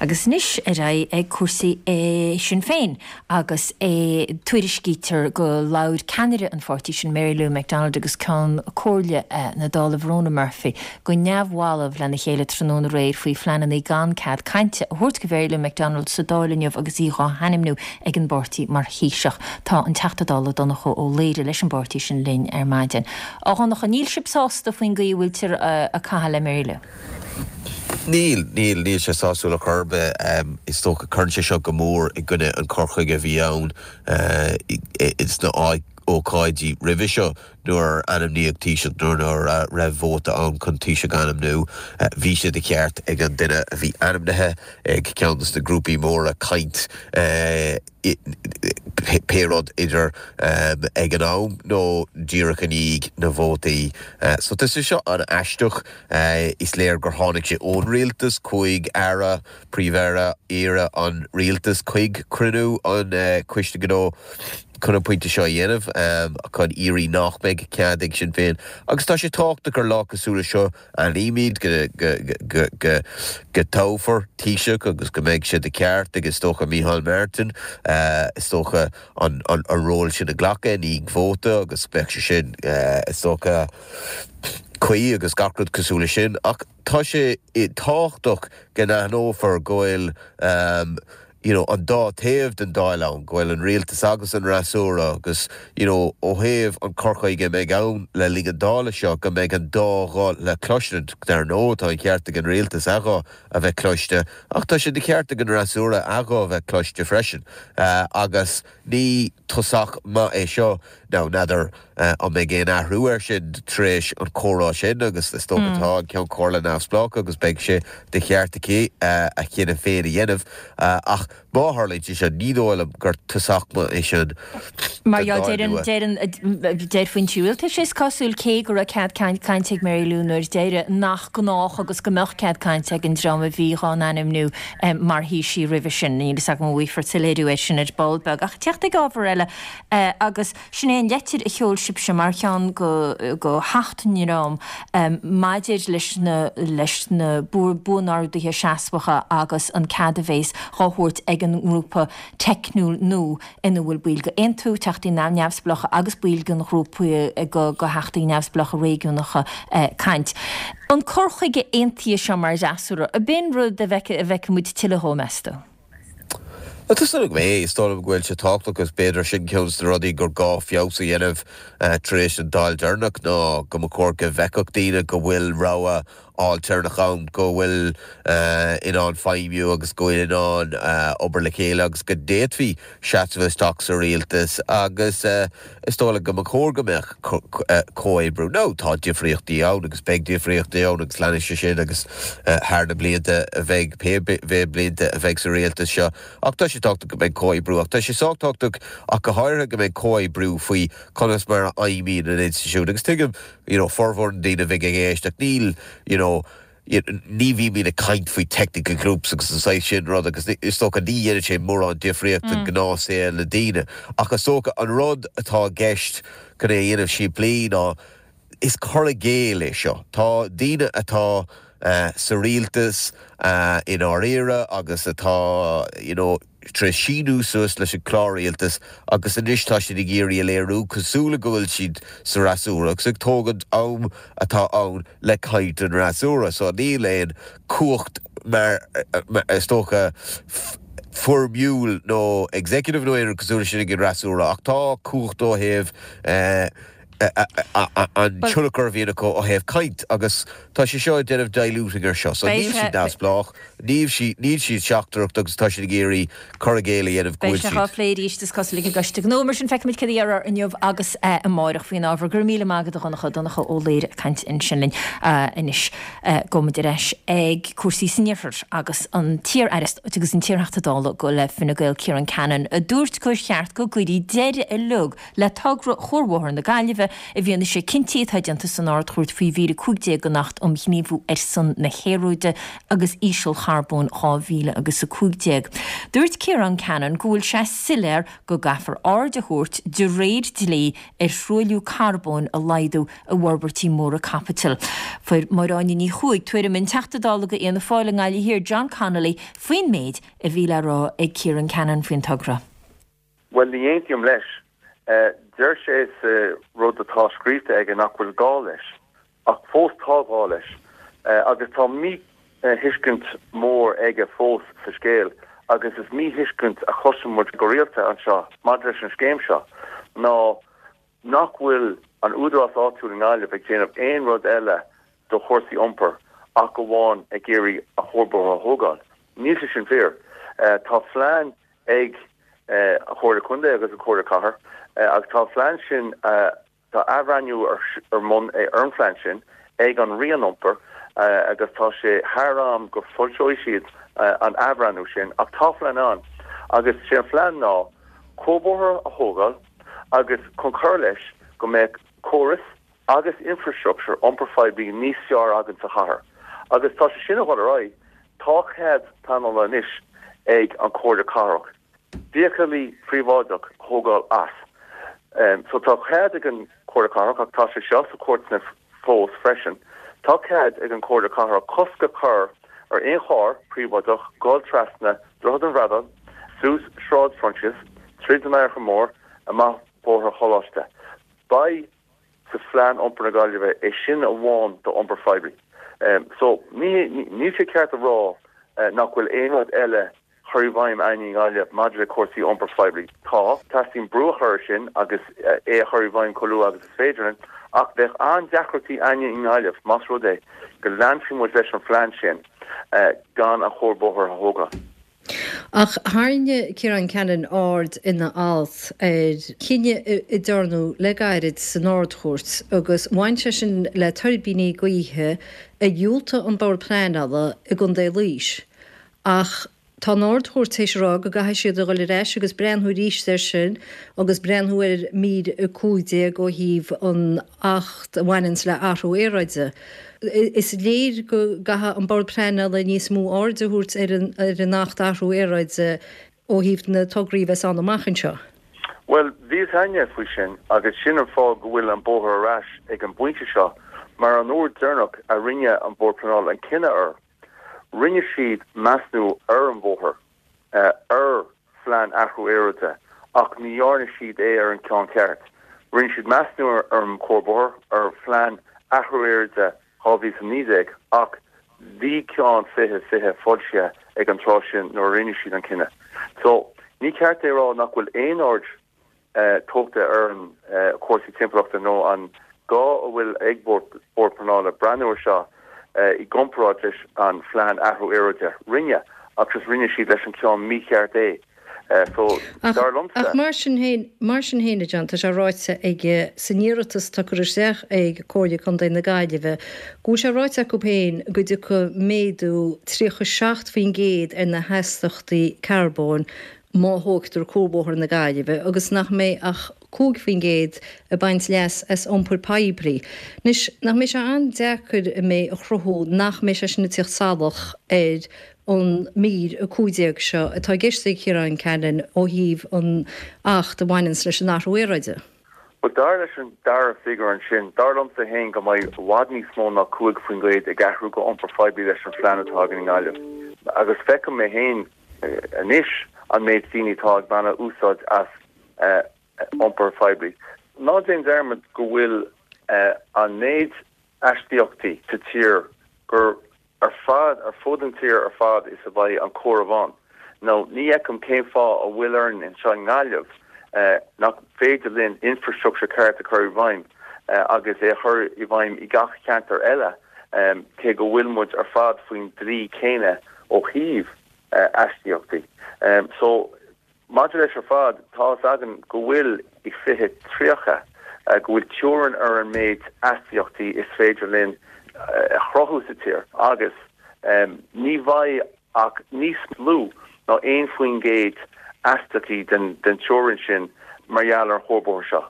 agus anois ar aghaidh ag cúrsaí Sinn Féin agus é tuairiscítear go labhair ceannaire an pháirtí sin Mary Lou McDonald agus Ceann Comhairle na Dála Verona Murphy go neamhbhalbh lena chéile tráthnóna aréir faoi phleananna gan cead cainte a thabhairt do Mhary Lou McDonald sa Dáil inniu agus í á hainmniú ag an bpáirtí mar Thaoiseach. Tá an Teachta Dála Donncha Ó Laoghaire leis an bpáirtí sin linn ar maidin. A Dhonncha, níl sibh sásta faoin gcaoi a bhfuiltear ag caitheamh le Mary Lou? Níl, níl, níl sé sásúil ar chor ar bith. Is dócha cuireann sé seo go mór i gcoinne an cur chuige a bhí ann sna ócáidí roimhe seo nuair a ainmníodh Taoiseach nó nuair a raibh vóta ann chun Taoiseach a ainmniú. Bhí sé de cheart ag an duine a bhí ainmnithe ag ceann de na grúpaí móra caint pé rud idir ag an am nó díreach i ndiaidh na vótaí. So tá sé seo an-aisteach. Is léir gur tháinig sé ón rialtas, chuaigh aire, príomh-aire, iarraidh an rialtas chuig cruinniú an Coiste Gnó chun an pointe seo a dhéanamh, chun iarraidh nach mbeidh cead ag Sinn Féin. Agus tá sé tábhachtach ar lá cosúil le seo, aithnímid go go dtoghfar Taoiseach agus go mbeidh sé de cheart ag is dócha Micheál Martin, is dócha an ról sin a ghlacadh i ndiaidh vóta agus beidh sé sin is dócha cuí agus gach rud cosúil le sin. Ach tá sé tábhachtach go n-aithneofar go bhfuil you know, an dá taobh den Dáil ann, go bhfuil an rialtas agus an fhreasúra agus you know, ó thaobh an cur chuige a mbeidh ann le linn an Dála seo go mbeidh an dá ghuth le cloisint. Dar ndóigh tá an ceart ag an rialtas a ghuth a bheith cloiste ach tá sé de cheart ag an fhreasúra a ghuth a bheith cloiste freisin. Uh, agus ní tosach maith é seo nó n'fheadar an mbeidh aon athrú air sin tar éis an comhrá sin agus is dócha tá an Ceann Comhairle neamhspleách agus beidh sé de cheart aici a chinneadh féin a dhéanamh ach má tharlaíonn sé seo ní dóigh liom gur tosach maith é sin Mar deireann deir foinsí rialtais is cosúil cé go raibh cead cainte ag Mary Lou nuair deireadh nach gnách agus go mbeadh cead cainte ag an dream a bhí á n-ainmniú mar Thaoisigh roimhe sin. Níl a fhios agam an bhfaighfear soiléiriú air sin ar ball beag ach teacht ag ábhar eile agus sin é an leitir a sheol sibhse mar cheann go go theacht ndream maidir leis na leis na buanorduithe seasmhacha agus an cead a bheas á thabhairt ag an ngrúpa teicniúil nua ina bhfuil baill de Aontú, teachtaí neamhspleácha agus baill den ghrúpa go go theachtaí neamhspleácha réigiúnacha caint. An cur chuige aontaithe seo mar fhreasúra, ab in rud a bhfeicfidh muid tuilleadh dhó meas tú? Tá súil agam é, is dóigh liom go bhfuil sé tábhachtach agus b'fhéidir sin ceann de na rudaí gur gá feabhas a dhéanamh tar éis an Dáil deireanach ná go mba chóir go bhfeicfeadh daoine go bhfuil rogha ailtéarnach ann, go bhfuil in ann feidhmiú agus go bhfuil in ann obair le chéile agus go d'fhéadfaí seasamh isteach sa rialtas agus is dóigh liom go mba chóir go mbeadh comhoibriú. Nó tá difríochtaí ann agus beidh difríochtaí ann agus leanfaidh sé sin agus thar na blianta a bheidh pé blianta a bheidh sa rialtas seo. Ach tá sé tábhachtach go mbeidh comhoibriú ach tá sé sách tábhachtach ach go háirithe go mbeidh comhoibriú faoi conas mar a fheidhmíonn an institiúid agus tuigim you know, formhór na ndaoine a bheidh ag éisteacht níl you know, ní bhímid ag caint faoi technical groups agus an saghas sin rud agus is dócha ní dhéanann sé mórán difríocht i ngnáthshaol na daoine. Ach is dócha an rud atá i gceist chun é a dhéanamh simplí ná is cur i gcéill é seo. Tá daoine atá uh, sa rialtas uh, i ndáiríre agus atá you know, tar éis síniú suas leis an clár rialtais agus anois tá siad ag iarraidh a léiriú cosúil le go bhfuil siad sa fhreasúra agus ag tógaint am atá ann le caint an fhreasúra. So níl aon cumhacht mar is dócha foirmiúil nó executive nó aon cosúil sin ag an fhreasúra ach tá cumhacht ó thaobh eh, an tionchar a bhíonn acu ó thaobh caint agus tá sé seo ag déanamh diluting ar seo. So níl siad neamhspleách, níl siad níl siad seachtrach agus tá siad ag iarraidh cur i gcéill a dhéanamh go Beidh bhfuil sé á siad. phlé arís is cosúil ag an gCoiste Gnó mar sin feicfimid cad a dhéarfar inniu agus amárach faoin ábhar. Go raibh míle maith agat a Dhonncha Donncha Ó Laoghaire ag caint ansin linn anois gabhfaimid ar ais ag cúrsaí san iarthar agus an t-iar-aire Stáit agus an t-iarTheachta Dála go le Fine Gael Ciarán Cannon a dúirt gur cheart go gcuirfí deireadh uilig le togra Chuarbhóthar na Gaillimhe i bhfianaise cinntí atá déanta san Ard-Chúirt faoi mhír a cúig déag den Acht um Ghníomhú ar son na hAeráide agus Ísealcharbóin dhá mhíle agus a cúig déag. Dúirt Ciarán Cannon go bhfuil sé soiléir go gcaithfear aird a thabhairt de réir dlí ar thruailliú carbóin a laghdú i bhforbairtí móra caipitil. Fuair Máire Áine Ní Chuaig tuairim an Teachta Dála do Fhianna Fáil i nGaillimh Thiar John Connolly faoin méid a bhí le rá ag Ciarán Cannon faoin togra. Bhuel, ní aontaím leis. Deir sé sa rud atá scríofa aige nach bhfuil gá leis, ach fós tá gá leis. Agus tá míthuiscint mór aige fós sa scéal, agus is míthuiscint a chloiseann muid go rialta anseo maidir leis an scéim seo, ná nach bhfuil an údarás áitiúil i nGaillimh ag déanamh aon rud eile do chúrsaí iompair ach amháin ag iarraidh an cuarbhóthar a thógáil. Níl sé sin fíor. Tá phlean ag an Chomhairle Contae agus an Chomhairle Cathair agus tá an phlean sin, tá athbhreithniú ar bun ar an phlean sin ag an Roinn Iompair agus tá sé thar am go foilseoidh siad an athbhreithniú sin ach tá phlean ann agus sé an phlean ná cuarbhóthar a thógáil agus chun cur leis go mbeadh córas agus infrastructure iompair phoiblí níos fearr againn sa chathair agus tá sé sin ag dul ar aghaidh. Tá cead pleanála anois ag an Chomhairle Cathrach feithiclí príobháideach a thógáil as. So tá cead ag an Chomhairle Cathrach, ach tá sé seo sa chúirteanna fós freisin, tá cead ag an Chomhairle Cathrach cosc a chur ar aon charr príobháideach dul trasna Droichead an Bhradáin, suas Sráid Phroinsias, tríd an Fhairche Mhór, amach Bóthar an Choláiste. Beidh sa Phlean Iompair na Gaillimhe é sin amháin d'iompar phoiblí. So ní níl sé ceart a rá nach bhfuil aon rud eile chur i bhfeidhm againn i nGaillimh maidir le cúrsaí iompair phoiblí. Tá, teastaíonn brú a chur air sin agus é a chur i bhfeidhm chomh luath agus is féidir linn, ach bheadh an-deacrachtaí againne i nGaillimh más rud é go leanfaidh muid leis an phlean sin gan an cuarbhóthar a thógáil. Ach tharraing Ciarán Cannon aird ina alt ar chinneadh a dearnadh le gairid san Ard-Chúirt agus bhain sé sin le tuirbíní gaoithe a dhiúltaigh an Bord Pleanála i gContae Laois. Ach tá an Ard-Chúirt théis a rá go gcaithfidh siad a dhul ar ais agus breathnú arís air sin agus breathnú ar mhír a cúig déag ó thaobh an Acht a bhaineanns le athrú aeráide. Is léir go gcaithfidh an Bord Pleanála níos mó aird a thabhairt ar an ar an Acht Athrú Aeráide ó thaobh na tograí a bheas ann amach anseo. Bhuel, bhí a fhios againne faoi sin agus sin an fáth go bhfuil an bóthar ar ais ag an bpointe seo mar an uair deireanach a rinne an Bord Pleanála an cinneadh air, Rinne siad measnú ar an bhóthar, ar Phlean Athrú Aeráide, ach ní dhearna siad é ar an gceann ceart. Rinne siad measnú ar an chuarbhóthar, ar Phlean Athrú Aeráide dhá mhíle is a naoi déag, ach bhí ceann fiche fiche foilsithe ag an tráth sin nuair a rinne siad an cinneadh. So, ní ceart é a rá nach bhfuil aon aird tógtha ar an chúrsaí timpeallachta nó an gá a bhfuil ag Bord Pleanála breathnú ar seo i gcomparáid leis an Phlean Athrú Aeráide. Rinne, ach just rinne siad leis an ceann mícheart é. So, dar liomsa. Ach mar sin féin, mar sin féin, a John, tá sé ráite ag, san iarratas atá curtha isteach ag Comhairle Contae na Gaillimhe, go bhfuil sé ráite acu féin go dtiocfaidh méadú tríocha seacht faoin gcéad ar na hastaíochtaí carbóin má thógtar Cuarbhóthar na Gaillimhe agus nach mbeidh ach cúig faoin gcéad ag baint leas as iompar poiblí. Anois, nach mbeidh sé an-deacair an méid a chruthú nach mbeidh sé sin ag tíocht salach ar an mír a cúig déag seo atá i gceist ag Ciarán Cannon ó thaobh an Acht a bhaineanns leis an athrú aeráide? Bhuel, dar leis an dara figiúr ansin, dar liomsa féin go mbeidh i bhfad níos mó ná cúig faoin gcéad ag athrú go iompar poiblí leis an phlean atá againn i nGaillimh. Agus feicim mé féin anois an méid daoine atá ag baint úsáid as iompar phoiblí. Ná déan dearmad go bhfuil an méid astaíochtaí sa tír gur ar fad ar fud an tír ar fad is a bheidh an comhaireamh ann. Nó ní fheicim cén fáth a bhfuil orainn anseo i nGaillimh nach féidir linn infrastructure ceart a chur i bhfeidhm agus é a chur i bhfeidhm i gach ceantar eile cé go bhfuil muid ar fad faoin dlí céanna ó thaobh astaíochtaí. So, maidir leis ar fad, tá fhios againn go bhfuil i fiche tríocha, go bhfuil teorainn ar an méid astaíochtaí is féidir linn a chruthú sa tír agus ní bheidh ach níos lú ná aon faoin gcéad astaíochtaí den teorainn sin mar gheall ar an chuarbhóthar seo.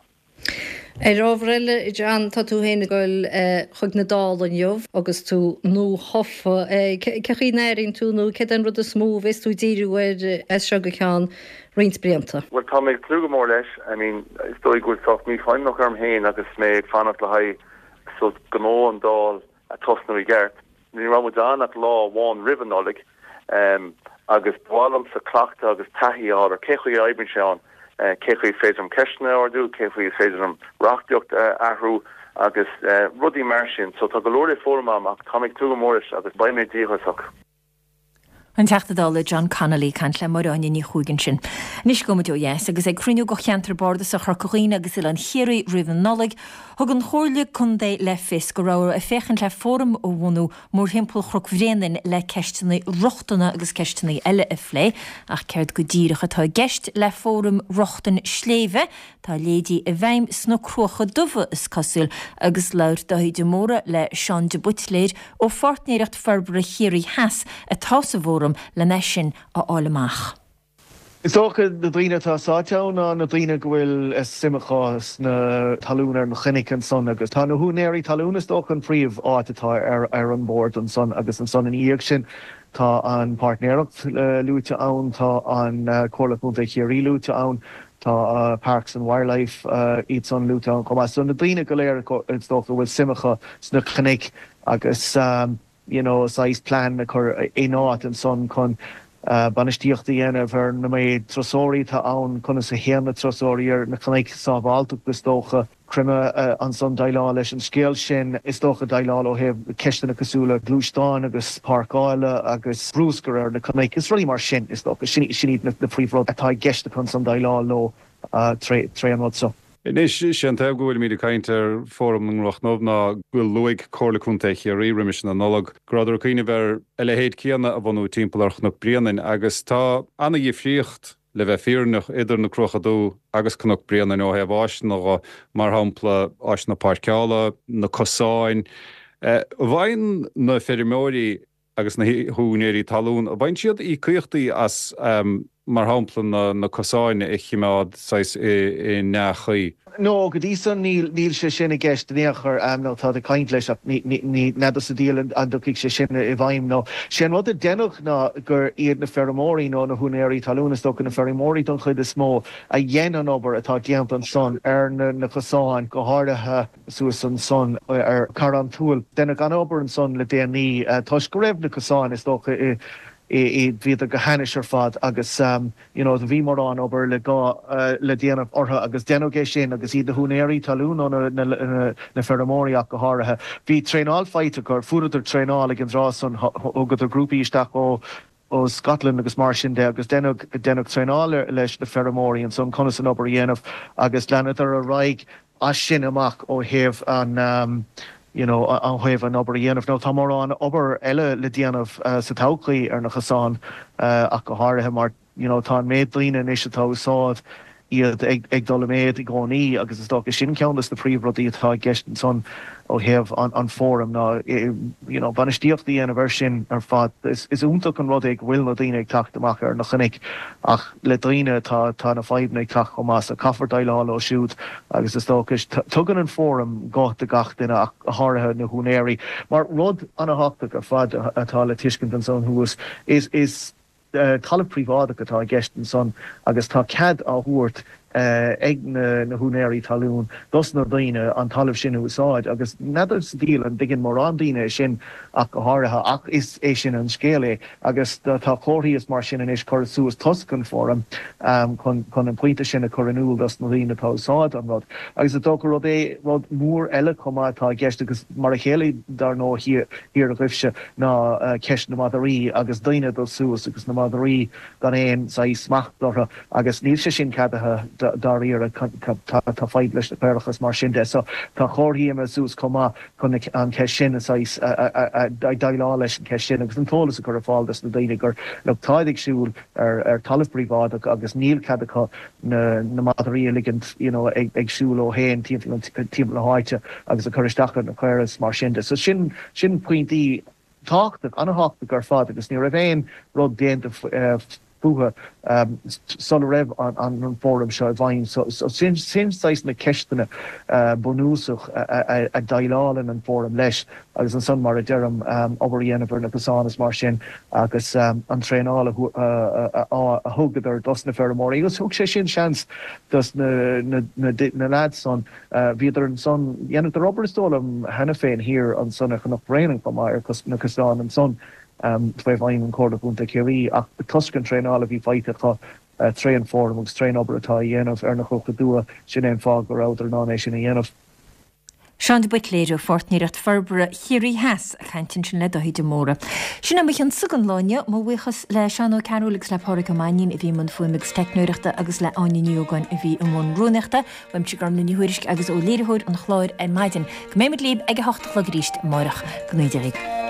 Ar ábhar eile, John, tá tú féin ag dul chuig na Dála inniu agus tú nuathofa. Cé chaoi a n-airíonn tú nó céard é an rud is mó a bheas tú ag díriú air as seo go ceann roinnt blianta? Bhuel, tá mé ag tnúth go mór leis. I mean, is dóigh go bhfuil sórt mífhoighneach orm féin agus mé ag fanacht le haghaidh sórt gnó an Dáil a tosnú i gceart. Ní raibh muid ann ach lá amháin roimh an Nollaig agus ba mhaith liomsa cleachtadh agus taithí a fháil ar cé chaoi a oibríonn sé ann, cé chaoi is féidir liom ceisteanna a ardú, cé chaoi is féidir liom reachtaíocht a athrú agus rudaí mar sin. So tá go leor le foghlaim agam ach tá mé ag tnúth go mór leis agus beidh mé díograiseach. An Teachta Dála John Connolly ag caint le Máire Áine Ní Chuaig ansin. Anois gabhfaidh muid ó dheas agus ag cruinniú de Cheantar Bardasach Chorca Dhuibhne agus Oileán Chiarraí roimh an Nollaig, thug an Chomhairle Contae le fios go raibh ag féachaint le fóram a bhunú mórthimpeall Chnoc Bhréanainn le ceisteanna rochtana agus ceisteanna eile a phlé. Ach céard go díreach atá i gceist le fóram rochtain sléibhe? Tá a leithéidí i bhfeidhm sna Cruacha Dubha, is cosúil, agus labhair Dáithí de Mórdha le Seán de Buitléir ó Pháirtnéireacht Forbartha Chiarraí Theas atá sa bhfóram lena sin a fháil amach. Is dócha na daoine atá sáite ann ná na daoine go bhfuil suim acu sna talún ar na cnoic ansan agus tá na húinéirí talún is dócha an príomh áit atá ar ar an bord ansan agus ansan ina dhiaidh sin tá an páirtnéireacht luaite ann, tá an Comhairle Contae Chiarraí luaite ann, tá Parks and Wildlife iad san luaite ann chomh maith. So na daoine go léir is dócha go bhfuil suim acu sna cnoic agus you know saghas plean a chur in áit ansan chun bainistíocht a dhéanamh ar na méid turasóirí atá ann, conas a théann na turasóirí ar na cnoic, sábháilteacht is dócha, creimeadh ansan déileáil leis an scéal sin, is dócha déileáil ó thaobh ceisteanna cosúil le gluaisteáin agus páirceála agus bruscar ar na cnoic, is rudaí mar sin is dócha, sin iad na príomhrudaí atá i gceist acu ansan déileáil leo tré an rud seo. Anois, sé an taobh go bhfuilimid ag caint ar Fóram na gCnoc Dubh ná go luaigh Comhairle Contae Chiarraí roimis na Nollag go rabhadar ag cuimhneamh ar a leithéid céanna a bhunú timpeall ar Chnoc Bréanainn agus tá ana-dhifríocht, le bheith fírinneach, idir na Cruacha Dubha agus Cnoc Bréanainn ó thaobh áiseanna dhe, mar shampla áiseanna páirceála, na cosáin. An bhfaigheann na feirmeoirí agus na húinéirí talún, an bhfaigheann siad íocaíochtaí as, mar shampla, na na cosáin a chimeád saghas i ndea-chaoi? No, go dtí san níl, níl sé sin i gceist in aon chor, nó táid ag caint leis ach ní, ní, ní, n'fheadar sa diabhal an dtiocfaidh sé sin i bhfeidhm nó. Sé an rud a deineadh ná gur iad na feirmeoirí nó na húinéirí talún, is dócha na feirmeoirí don chuid is mó, a dhein an obair atá déanta ansan ar na, na cosáin, go háirithe suas ansan ar Charrán Tuathail. Deineadh an-obair ansan le déanaí toisc go raibh na cosáin, is dócha, i, i, bhíodar go hainnis ar fad agus you know do bhí mórán obair le gá le déanamh orthu agus deineadh é sin agus iad na húinéirí talún nó na, na, na feirmeoirí ach go háirithe. Bhí traenáil faighte acu, fuaireadar traenáil ag an dtráth san, thugadar grúpaí isteach ó, ó Scotland agus mar sin de agus deineadh, deineadh traenáil leis na feirmeoirí ansan conas an obair a dhéanamh agus leanadar ar aghaidh as sin amach ó thaobh an you know ó thaobh an obair a dhéanamh. Nó tá mórán obair eile le déanamh sa todhchaí ar na cosáin ach go háirithe mar you know tá an méid daoine anois atá ag úsáid iad ag dul i méad i gcónaí agus is dócha sin ceann de na príomhrudaí atá i gceist ansan ó thaobh an fóram ná you know bainistíocht a dhéanamh air sin ar fad. Is iontach an rud é go bhfuil na daoine ag teacht amach ar na cnoic ach le daoine tá tá na fadhbanna ag teacht chomh maith so caithfear déileáil leo siúd agus is dócha tugann an fóram guth do gach duine ach go háirithe na húinéirí mar rud an-thábhachtach ar fad atá le tuiscint ansan thuas is is Talamh príobháideach atá i gceist ansan agus tá cead á thabhairt ag na húinéirí talún dos na daoine an talamh sin a úsáid agus n'fheadar sa diabhal an dtuigeann mórán daoine é sin ach go háirithe ach is é sin an scéal é agus tá comharthaí is mar sin anois curtha suas toisc an fóram chun chun an pointe sin a chur in iúl dos na daoine atá ag úsáid an rud agus is dócha rud é rud mór eile chomh maith atá i gceist agus mar a chéile dar ndóigh thiar agaibhse ná ceist na madraí agus daoine ag dul suas agus na madraí gan aon saghas smacht orthu agus níl sé sin ceadaithe dáiríre, tá fadhb leis na caorach is mar sin de. So tá comharthaí imithe suas chomh maith chun an cheist sin a saghas déileáil leis an cheist sin agus an t-eolas a chur ar fáil dos na daoine gur look táid ag siúl ar talamh príobháideach agus níl cead acu na madraí a ligint you know ag siúl leo féin timpeall na háite agus ag cur isteach ar na caora is mar sin de. So sin sin pointí tábhachtach, an-thábhachtach ar fad agus ní raibh aon rud déanta fúthu sula raibh an fóram seo i bhfeidhm. So sin sin saghas na ceisteanna bunúsach a déileálann an fóram leis agus ansan mar a deirim obair a dhéanamh ar na cosáin is mar sin agus an traenáil a thugadar dos na feirmeoirí agus thug sé sin seans dos na na lads san bhíodar ansan dhéanadar obair is dóigh liom cheana féin thiar ansan ar Chnoc Bréanainn chomh maith ar na cosáin ansan faoi bhfeidhm an Chomhairle Contae Chiarraí ach toisc an traenáil a bhí faighte acu tré an fóram agus trén obair atá á dhéanamh ar na cnoca dubha sin é an fáth go rabhadar in ann é sin a dhéanamh. Seán de Buitléir ó Pháirtnéireacht Forbartha Chiarraí Theas ag caint ansin le Dáithí de Mórdha. Sin é mo chionsa don lá inniu. Mo bhuíochas le Seán Ó Cearúil agus le Pádraig Ó Mainnín a bhí i mbun fuaime agus teicneoireachta agus le Áine Ní Ógáin a bhí i mbun rúnaíochta. Uaimse Gormlaith Ní Thuairisg agus ó léiritheoir an chláir ar maidin. Go mbeimid libh ag a hocht a chlog arís amárach. Go n-éirí libh.